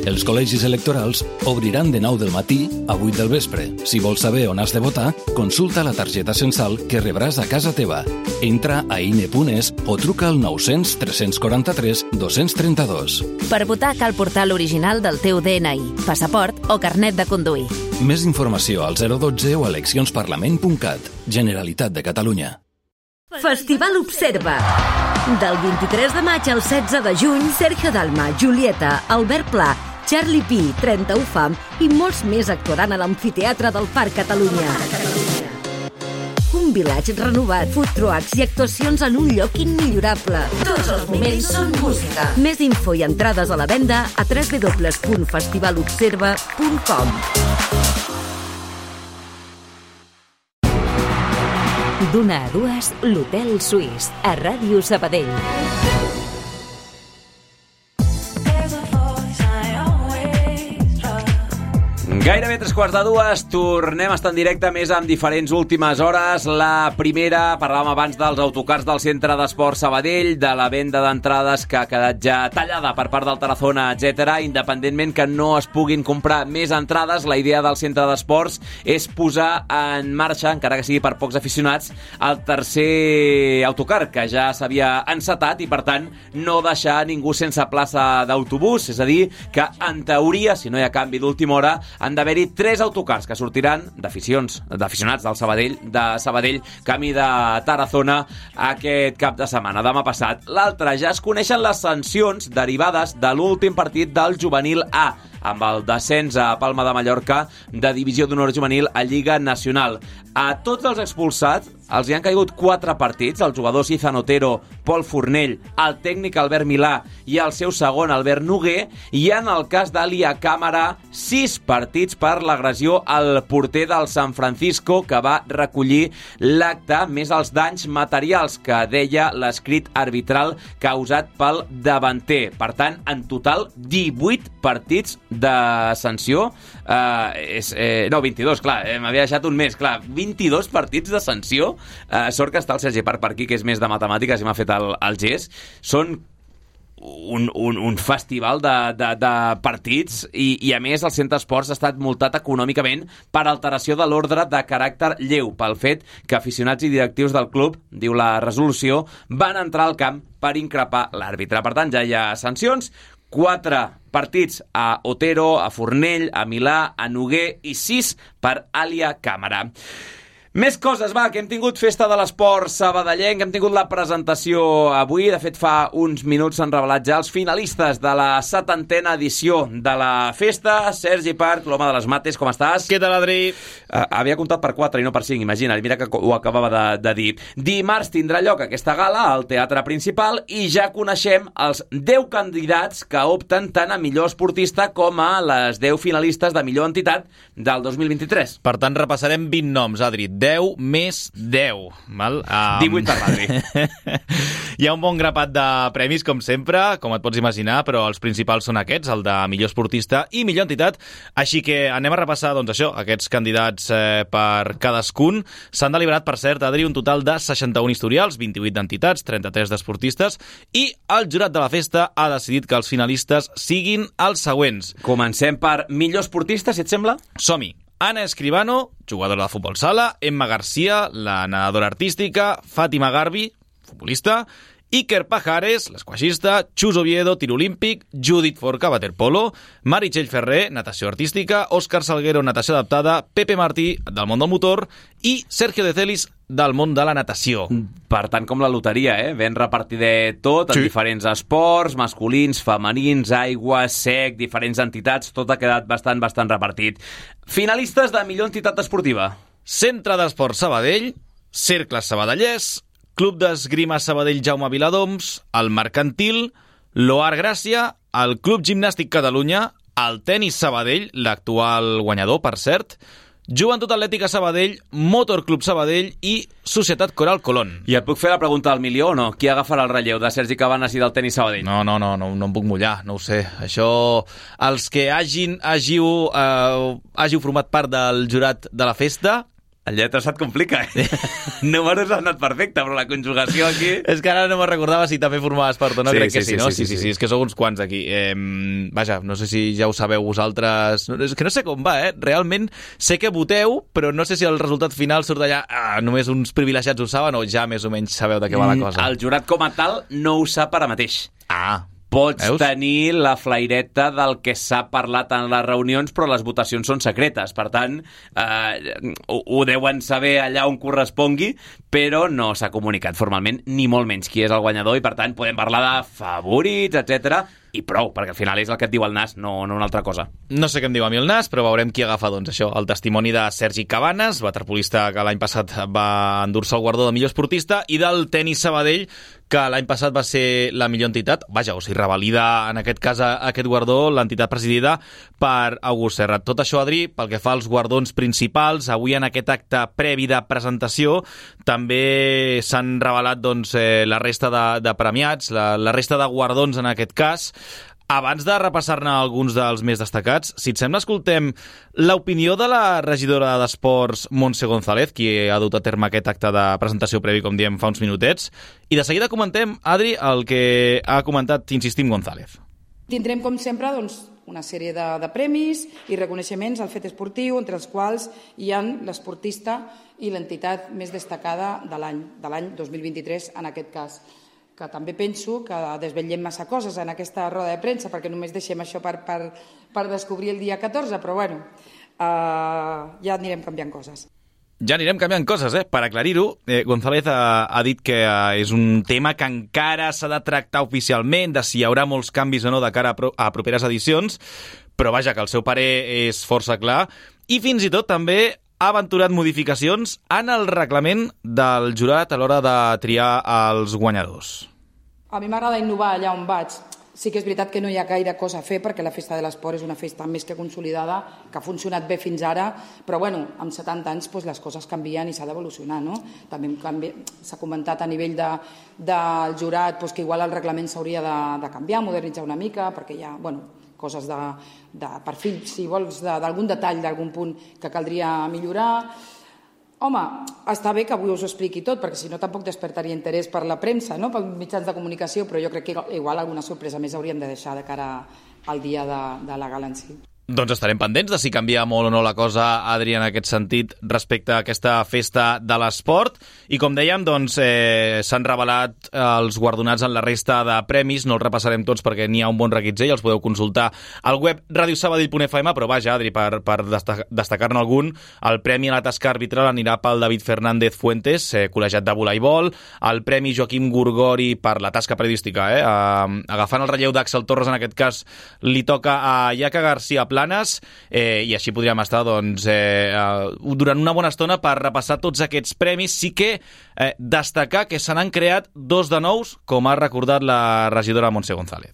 Els col·legis electorals obriran de nou del matí a vuit del vespre. Si vols saber on has de votar, consulta la targeta censal que rebràs a casa teva. Entra a ine punt es o truca al nou cents tres quaranta-tres dos trenta dos.
Per votar cal portar l'original del teu de ene i, passaport o carnet de conduir.
Més informació al zero dotze o a eleccions-parlament punt cat. Generalitat de Catalunya.
Festival Observa. Del vint-i-tres de maig al setze de juny, Sergio Dalma, Julieta, Albert Pla, Charlie Pi, trenta-u Fam i molts més actuaran a l'Amfiteatre del Parc Catalunya. Un vilatge renovat, food trucks i actuacions en un lloc immillorable. Tots els moments són música. Més info i entrades a la venda a w w w punt festival observa punt com. D'una a dues, l'Hotel Suís, a Ràdio Sabadell.
Gairebé tres quarts de dues, tornem a estar en directe més amb diferents últimes hores. La primera, parlàvem abans dels autocars del Centre d'Esport Sabadell, de la venda d'entrades que ha quedat ja tallada per part del Tarazona, etcètera. Independentment que no es puguin comprar més entrades, la idea del Centre d'Esports és posar en marxa, encara que sigui per pocs aficionats, el tercer autocar, que ja s'havia encetat i, per tant, no deixar ningú sense plaça d'autobús. És a dir, que, en teoria, si no hi ha canvi d'última hora, han d'haver-hi tres autocars que sortiran d'aficions, d'aficionats del Sabadell, de Sabadell, camí de Tarazona aquest cap de setmana, demà passat. L'altre, ja es coneixen les sancions derivades de l'últim partit del Juvenil A, amb el descens a Palma de Mallorca de Divisió d'Honor Juvenil a Lliga Nacional. A tots els expulsats els hi han caigut quatre partits, el jugador Izan Otero, Pol Fornell, el tècnic Albert Milà i el seu segon Albert Noguer, i en el cas d'Alia Càmara, sis partits per l'agressió al porter del San Francisco, que va recollir l'acte, més els danys materials que deia l'escrit arbitral causat pel davanter. Per tant, en total, divuit partits de sanció. Eh, és, eh, no, vint-i-dos, clar, eh, m'havia deixat un mes, clar, vint-i-dos partits de sanció. Eh, sort que està el Sergi Parc per aquí, que és més de matemàtiques i m'ha fet el, el gest. Són un, un, un festival de, de, de partits i, i a més el Centre Esports ha estat multat econòmicament per alteració de l'ordre de caràcter lleu pel fet que aficionats i directius del club, diu la resolució, van entrar al camp per increpar l'àrbitre. Per tant, ja hi ha sancions, quatre partits a Otero, a Fornell, a Milà, a Noguer i sis per Alia Càmara. Més coses, va, que hem tingut festa de l'esport sabadellenc, hem tingut la presentació avui, de fet fa uns minuts s'han revelat ja els finalistes de la setantena edició de la festa. Sergi Parc, l'home de les mates, com estàs?
Què tal, Adri?
Uh, havia comptat per quatre i no per cinc, imagina't, mira que ho acabava de, de dir. Dimarts tindrà lloc aquesta gala al Teatre Principal i ja coneixem els deu candidats que opten tant a millor esportista com a les deu finalistes de millor entitat del dos mil vint-i-tres.
Per tant, repassarem vint noms, Adri. deu més deu. Val? Um...
divuit per l'Adri.
Hi ha un bon grapat de premis, com sempre, com et pots imaginar, però els principals són aquests, el de millor esportista i millor entitat. Així que anem a repassar, doncs això, aquests candidats eh, per cadascun. S'han deliberat, per cert, Adri, un total de seixanta-un historials, vint-i-vuit d'entitats, trenta-tres d'esportistes, i el jurat de la festa ha decidit que els finalistes siguin els següents.
Comencem per millor esportista, si et sembla?
Som-hi. Ana Escribano, jugadora de futbol sala, Emma Garcia, la nedadora artística, Fàtima Garbi, futbolista, Iker Pajares, l'esquaixista, Chus Oviedo, tir olímpic, Judit Forca, waterpolo, Meritxell Ferrer, natació artística, Òscar Salguero, natació adaptada, Pepe Martí, del món del motor, i Sergio de Celis, del món de la natació.
Per tant, com la loteria, eh? Ben repartider tot, en sí. diferents esports, masculins, femenins, aigua, sec, diferents entitats, tot ha quedat bastant, bastant repartit. Finalistes de millor entitat esportiva.
Centre d'Esport Sabadell, Cercles Sabadellers, Club d'Esgrima Sabadell Jaume Viladoms, el Mercantil, l'Oar Gràcia, el Club Gimnàstic Catalunya, el Tenis Sabadell, l'actual guanyador, per cert, Joventut Atlètica Sabadell, Motor Club Sabadell i Societat Coral Colón.
I et puc fer la pregunta del milió o no? Qui agafarà el relleu de Sergi Cabanes i del Tenis Sabadell?
No, no, no, no, no em puc mullar, no ho sé. Això, els que hagin, hàgiu, eh, hàgiu format part del jurat de la festa...
El lletra se't complica, eh? Números ha anat perfecte, però la conjugació aquí...
És que ara no me'n recordava si també formaves part o no,
sí,
crec
sí,
que sí,
sí,
no?
Sí, sí,
sí, sí,
sí,
sí, és que sou uns quants aquí. Eh, vaja, no sé si ja ho sabeu vosaltres... És que no sé com va, eh? Realment sé que voteu, però no sé si el resultat final surt d'allà... Ah, només uns privilegiats ho saben o ja més o menys sabeu de què va la cosa.
El jurat com a tal no ho sap ara mateix.
Ah,
Pots
Veus?
tenir la flaireta del que s'ha parlat en les reunions, però les votacions són secretes. Per tant, eh, ho, ho deuen saber allà on correspongui, però no s'ha comunicat formalment, ni molt menys qui és el guanyador, i per tant podem parlar de favorits, etcètera, i prou, perquè al final és el que et diu el nas, no, no una altra cosa.
No sé què em diu a mi el nas, però veurem qui agafa, doncs, això, el testimoni de Sergi Cabanes, waterpolista que l'any passat va endur-se el guardó de millor esportista, i del Tenis Sabadell, que l'any passat va ser la millor entitat, vaja, o sigui, revalida en aquest cas aquest guardó l'entitat presidida per August Serrat. Tot això, Adri, pel que fa als guardons principals, avui en aquest acte previ de presentació també s'han revelat doncs, eh, la resta de, de premiats, la, la resta de guardons en aquest cas. Abans de repassar-ne alguns dels més destacats, si et sembla, escoltem l'opinió de la regidora d'Esports, Montse González, qui ha dut a terme aquest acte de presentació previ, com diem, fa uns minutets, i de seguida comentem, Adri, el que ha comentat, insistim, González.
Tindrem, com sempre, doncs, una sèrie de, de premis i reconeixements al fet esportiu, entre els quals hi ha l'esportista i l'entitat més destacada de l'any, de l'any dos mil vint-i-tres, en aquest cas. Que també penso que desvetllem massa coses en aquesta roda de premsa, perquè només deixem això per, per, per descobrir el dia catorze, però bueno, uh, ja anirem canviant coses.
Ja anirem canviant coses, eh? Per aclarir-ho, eh, González ha, ha dit que eh, és un tema que encara s'ha de tractar oficialment, de si hi haurà molts canvis o no de cara a, pro a properes edicions, però vaja, que el seu parer és força clar, i fins i tot també ha aventurat modificacions en el reglament del jurat a l'hora de triar els guanyadors.
A mi m'agrada innovar allà on vaig. Sí que és veritat que no hi ha gaire cosa a fer, perquè la Festa de l'Esport és una festa més que consolidada, que ha funcionat bé fins ara, però bueno, amb setanta anys doncs, les coses canvien i s'ha d'evolucionar, no? També s'ha comentat a nivell de, del jurat doncs, que igual el reglament s'hauria de, de canviar, modernitzar una mica, perquè hi ha, bueno, coses de, de perfil, si vols, d'algun detall, d'algun punt que caldria millorar. Home, està bé que avui us ho expliqui tot, perquè si no tampoc despertaria interès per la premsa, no? Pels mitjans de comunicació, però jo crec que igual alguna sorpresa més hauríem de deixar de cara al dia de, de la gala en si.
Doncs estarem pendents de si canvia molt o no la cosa, Adri, en aquest sentit, respecte a aquesta festa de l'esport. I com dèiem, doncs, eh, s'han revelat els guardonats en la resta de premis. No els repassarem tots perquè n'hi ha un bon reguitzell, els podeu consultar al web radiosabadell punt f m, però vaja, Adri, per, per destacar-ne algun, el premi a la tasca arbitral anirà pel David Fernández Fuentes, eh, col·legiat de voleibol, el premi Joaquim Gurgori per la tasca periodística, eh, eh, agafant el relleu d'Àxel Torres, en aquest cas, li toca a Iaca García Planes, eh, i així podríem estar doncs, eh, eh, durant una bona estona per repassar tots aquests premis. Sí que eh, destacar que se n'han creat dos de nous, com ha recordat la regidora Montse González.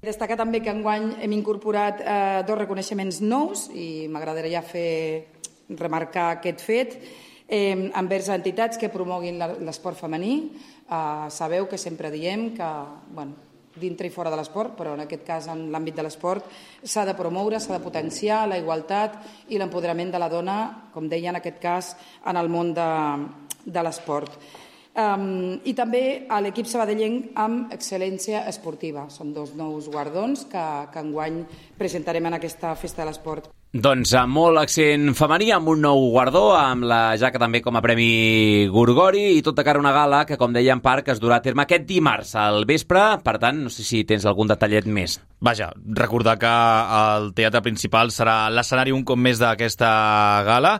Destacar també que enguany hem incorporat eh, dos reconeixements nous i m'agradaria fer remarcar aquest fet eh, envers entitats que promoguin l'esport femení. Eh, sabeu que sempre diem que, bueno, dintre i fora de l'esport, però en aquest cas en l'àmbit de l'esport s'ha de promoure, s'ha de potenciar la igualtat i l'empoderament de la dona, com deia en aquest cas, en el món de, de l'esport. Um, I també a l'equip sabadellenc amb excel·lència esportiva. Són dos nous guardons que, que enguany presentarem en aquesta Festa de l'Esport.
Doncs amb molt accent femení, amb un nou guardó, amb la jaca també com a Premi Gorgori i tot de cara a una gala que, com deia en Parc, es durà a terme aquest dimarts al vespre. Per tant, no sé si tens algun detallet més.
Vaja, recordar que el teatre principal serà l'escenari un cop més d'aquesta gala.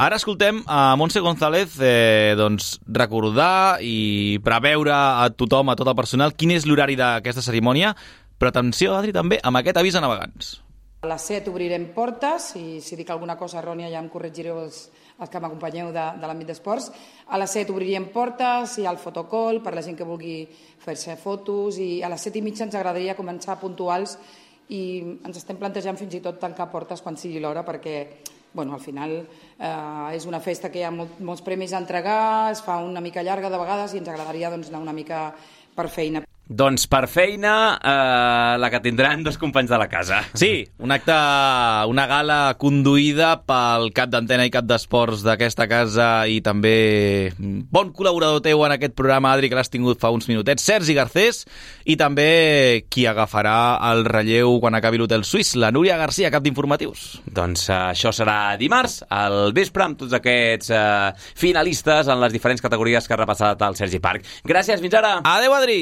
Ara escoltem a Montse González eh, doncs, recordar i preveure a tothom, a tot el personal, quin és l'horari d'aquesta cerimònia, però atenció, Adri, també amb aquest avís a navegants.
A les set obrirem portes, i si dic alguna cosa errònia ja em corregireu els, els que m'acompanyeu de, de l'àmbit d'esports. A les set obriríem portes, hi ha el fotocall per la gent que vulgui fer-se fotos, i a les set i mitja ens agradaria començar puntuals i ens estem plantejant fins i tot tancar portes quan sigui l'hora, perquè bueno, al final eh, és una festa que hi ha molt, molts premis a entregar, es fa una mica llarga de vegades i ens agradaria doncs, anar una mica per feina.
Doncs per feina, eh, la que tindran dos companys de la casa.
Sí, un acte, una gala conduïda pel cap d'antena i cap d'esports d'aquesta casa i també bon col·laborador teu en aquest programa, Adri, que l'has tingut fa uns minutets, Sergi Garcés, i també qui agafarà el relleu quan acabi l'Hotel Suís, la Núria Garcia, cap d'informatius.
Doncs eh, això serà dimarts, al vespre, amb tots aquests eh, finalistes en les diferents categories que ha repassat el Sergi Parc. Gràcies, fins ara!
Adéu, Adri!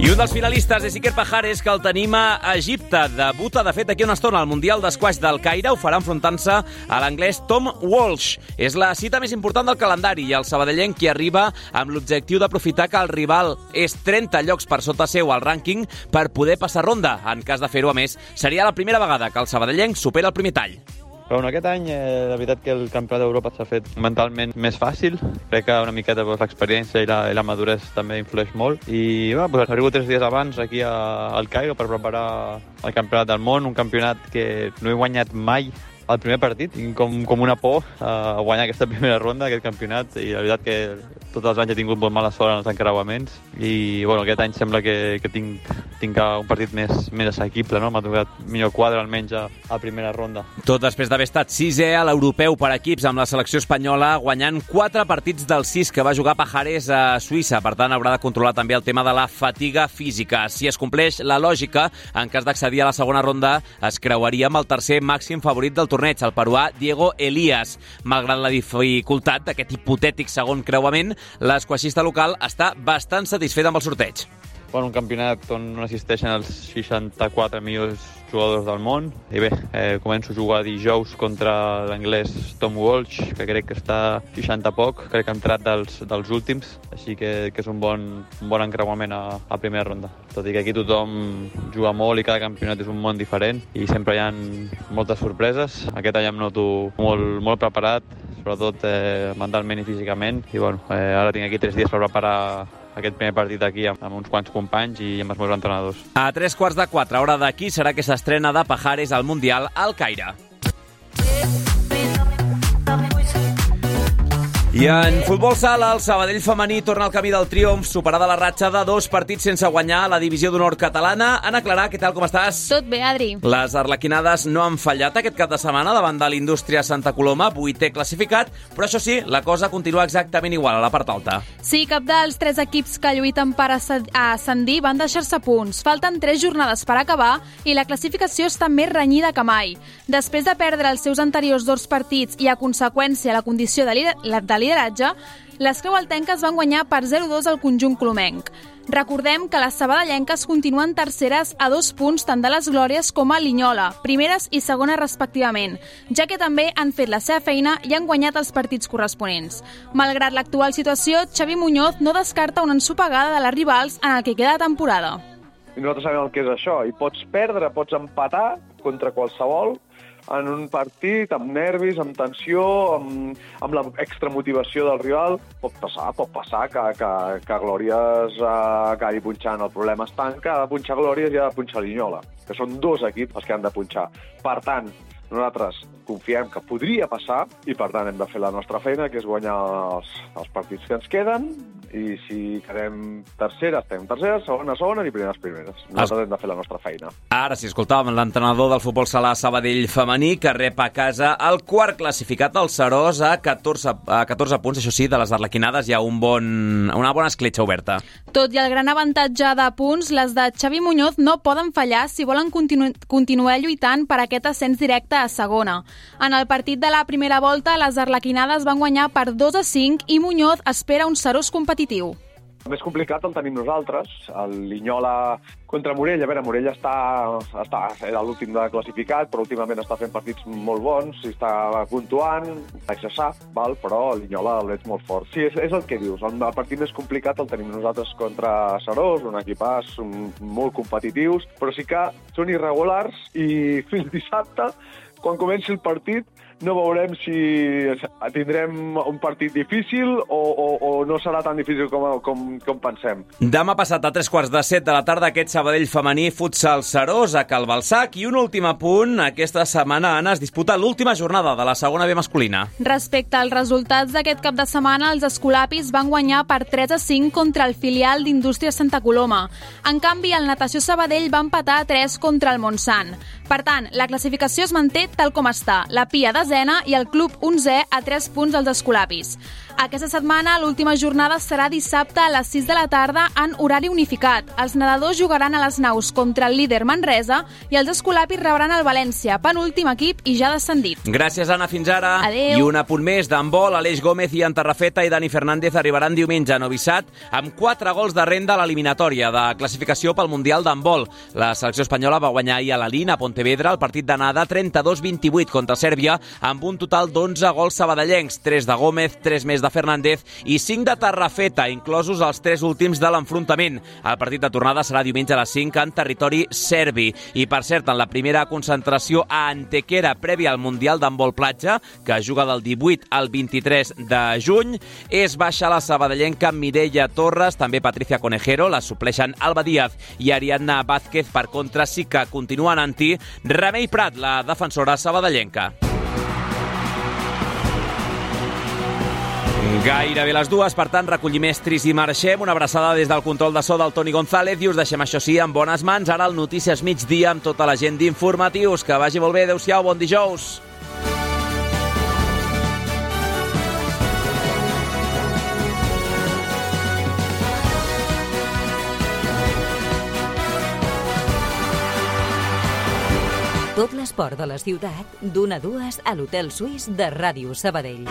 I un dels finalistes és Iker Pajares, que el tenim a Egipte. Debuta, de fet, aquí una estona al Mundial d'Esquaix del Caire. Ho farà enfrontant-se a l'anglès Tom Walsh. És la cita més important del calendari i el sabadellenc qui arriba amb l'objectiu d'aprofitar que el rival és trenta llocs per sota seu al rànquing per poder passar ronda. En cas de fer-ho, a més, seria la primera vegada que el sabadellenc supera el primer tall.
Però bueno, aquest any, eh, la veritat que el Campionat d'Europa s'ha fet mentalment més fàcil. Crec que una miqueta pues, l'experiència i la, i la maduresa també influeix molt. I bueno, pues, arribo tres dies abans aquí a, al Cairo per preparar el Campionat del Món, un campionat que no he guanyat mai el primer partit. Tinc com, com una por a guanyar aquesta primera ronda, aquest campionat, i la veritat que tots els anys he tingut molt mala sort en els encreuaments i bueno, aquest any sembla que, que tinc, tinc un partit més, més assequible, no? M'ha tocat millor quadre almenys a, a primera ronda.
Tot després d'haver estat sisè a l'europeu per equips amb la selecció espanyola, guanyant quatre partits dels sis que va jugar Pajares a Suïssa. Per tant, haurà de controlar també el tema de la fatiga física. Si es compleix la lògica, en cas d'accedir a la segona ronda, es creuaria amb el tercer màxim favorit del torneig, el peruà Diego Elías. Malgrat la dificultat d'aquest hipotètic segon creuament, l'esquaixista local està bastant satisfet amb el sorteig.
Bueno, un campionat on no assisteixen els seixanta-quatre millors jugadors del món. I bé, eh, començo a jugar dijous contra l'anglès Tom Walsh, que crec que està seixanta poc, crec que ha entrat dels, dels últims, així que, que és un bon, un bon encreuament a, a primera ronda. Tot i que aquí tothom juga molt i cada campionat és un món diferent i sempre hi ha moltes sorpreses. Aquest any em noto molt, molt preparat, sobretot eh, mentalment i físicament, i bueno, eh, ara tinc aquí tres dies per preparar aquest primer partit aquí amb, amb uns quants companys i amb els meus entrenadors.
A tres quarts de quatre, hora d'aquí, serà que s'estrena de Pajares al Mundial al Caire. I en futbol sala, el Sabadell femení torna al camí del triomf, superada la ratxa de dos partits sense guanyar a la divisió d'honor catalana. Ana Clarà, què tal, com estàs?
Tot bé, Adri.
Les arlequinades no han fallat aquest cap de setmana davant de l'Indústria Santa Coloma, vuitè classificat, però això sí, la cosa continua exactament igual a la part alta.
Sí, cap dels tres equips que lluiten per ascendir van deixar-se punts. Falten tres jornades per acabar i la classificació està més renyida que mai. Després de perdre els seus anteriors dos partits i a conseqüència la condició de lideratge, lideratge, les creualtenques van guanyar per zero a dos al conjunt colomenc. Recordem que les sabadellenques continuen terceres a dos punts tant de les Glòries com a Linyola, primeres i segones respectivament, ja que també han fet la seva feina i han guanyat els partits corresponents. Malgrat l'actual situació, Xavi Muñoz no descarta una ensopegada de les rivals en el que queda de temporada.
I nosaltres sabem el que és això, i pots perdre, pots empatar contra qualsevol, en un partit, amb nervis, amb tensió, amb, amb l'extramotivació del rival. Pot passar, pot passar que, que, que Glòries eh, acabi punxant. El problema està en que ha de punxar Glòries i ha de punxar Linyola, que són dos equips els que han de punxar. Per tant, nosaltres confiem que podria passar i, per tant, hem de fer la nostra feina, que és guanyar els, els partits que ens queden, i si quedem tercera, estem tercera, segona, segona i primeres, primeres. Nosaltres hem de fer la nostra feina.
Ara, si escoltàvem l'entrenador del futbol sala Sabadell femení, que rep a casa el quart classificat al Serós a catorze, a catorze punts, això sí, de les arlequinades hi ha un bon, una bona escletxa oberta.
Tot i el gran avantatge de punts, les de Xavi Muñoz no poden fallar si volen continu continuar lluitant per aquest ascens directe a segona. En el partit de la primera volta, les arlequinades van guanyar per dos a cinc i Muñoz espera un Serós competitiu.
El més complicat el tenim nosaltres. El Linyola contra Morella. A veure, Morella està, està, era l'últim de classificat, però últimament està fent partits molt bons, i està puntuant, això sap, val? Però el Linyola el veig molt fort. Sí, és, és el que dius. El, el partit més complicat el tenim nosaltres contra Serós, un equipàs molt competitius, però sí que són irregulars i fins dissabte, quan comenci el partit, no veurem si tindrem un partit difícil o, o, o no serà tan difícil com, com, com pensem.
Demà passat a tres quarts de set de la tarda aquest Sabadell femení futsal Serós a Cal Balsac, i un últim apunt, aquesta setmana, Anna, es disputa l'última jornada de la segona B masculina.
Respecte als resultats d'aquest cap de setmana, els escolapis van guanyar per tres a cinc contra el filial d'Indústries Santa Coloma. En canvi, el Natació Sabadell va empatar a tres contra el Montsant. Per tant, la classificació es manté tal com està. La Pia desena i el club onzè a tres punts dels escolapis. Aquesta setmana, l'última jornada serà dissabte a les sis de la tarda en horari unificat. Els nedadors jugaran a les naus contra el líder Manresa i els escolapis rebran el València, penúltim equip i ja descendit.
Gràcies, Anna, fins ara.
Adéu.
I un apunt més d'handbol. Aleix Gómez i Antarrafeta i Dani Fernández arribaran diumenge a Novi Sad amb quatre gols de renda a l'eliminatòria de classificació pel Mundial d'handbol. La selecció espanyola va guanyar ahir a la Lina, a Pontevedra, el partit d'anada trenta-dos vint-i-vuit contra Sèrbia, amb un total d'onze gols sabadellencs, tres de Gómez, tres més de Fernández i cinc de Tarrafeta, inclosos els tres últims de l'enfrontament. El partit de tornada serà diumenge a les cinc en territori serbi. I, per cert, en la primera concentració a Antequera prèvia al Mundial d'handbol platja, que juga del divuit al vint-i-tres de juny, és baixa la sabadellenca Mireia Torres, també Patricia Conejero, la supleixen Alba Díaz i Ariadna Vázquez. Per contra, sí que continua anant-hi Remei Prat, la defensora sabadellenca. Gairebé les dues, per tant, recollim estris i marxem. Una abraçada des del control de so del Toni González i us deixem, això sí, en bones mans. Ara el Notícies Migdia amb tota la gent d'informatius. Que vagi molt bé, adeu-siau, bon dijous.
Tot l'esport de la ciutat, d'una a dues a l'Hotel Suís de Ràdio Sabadell.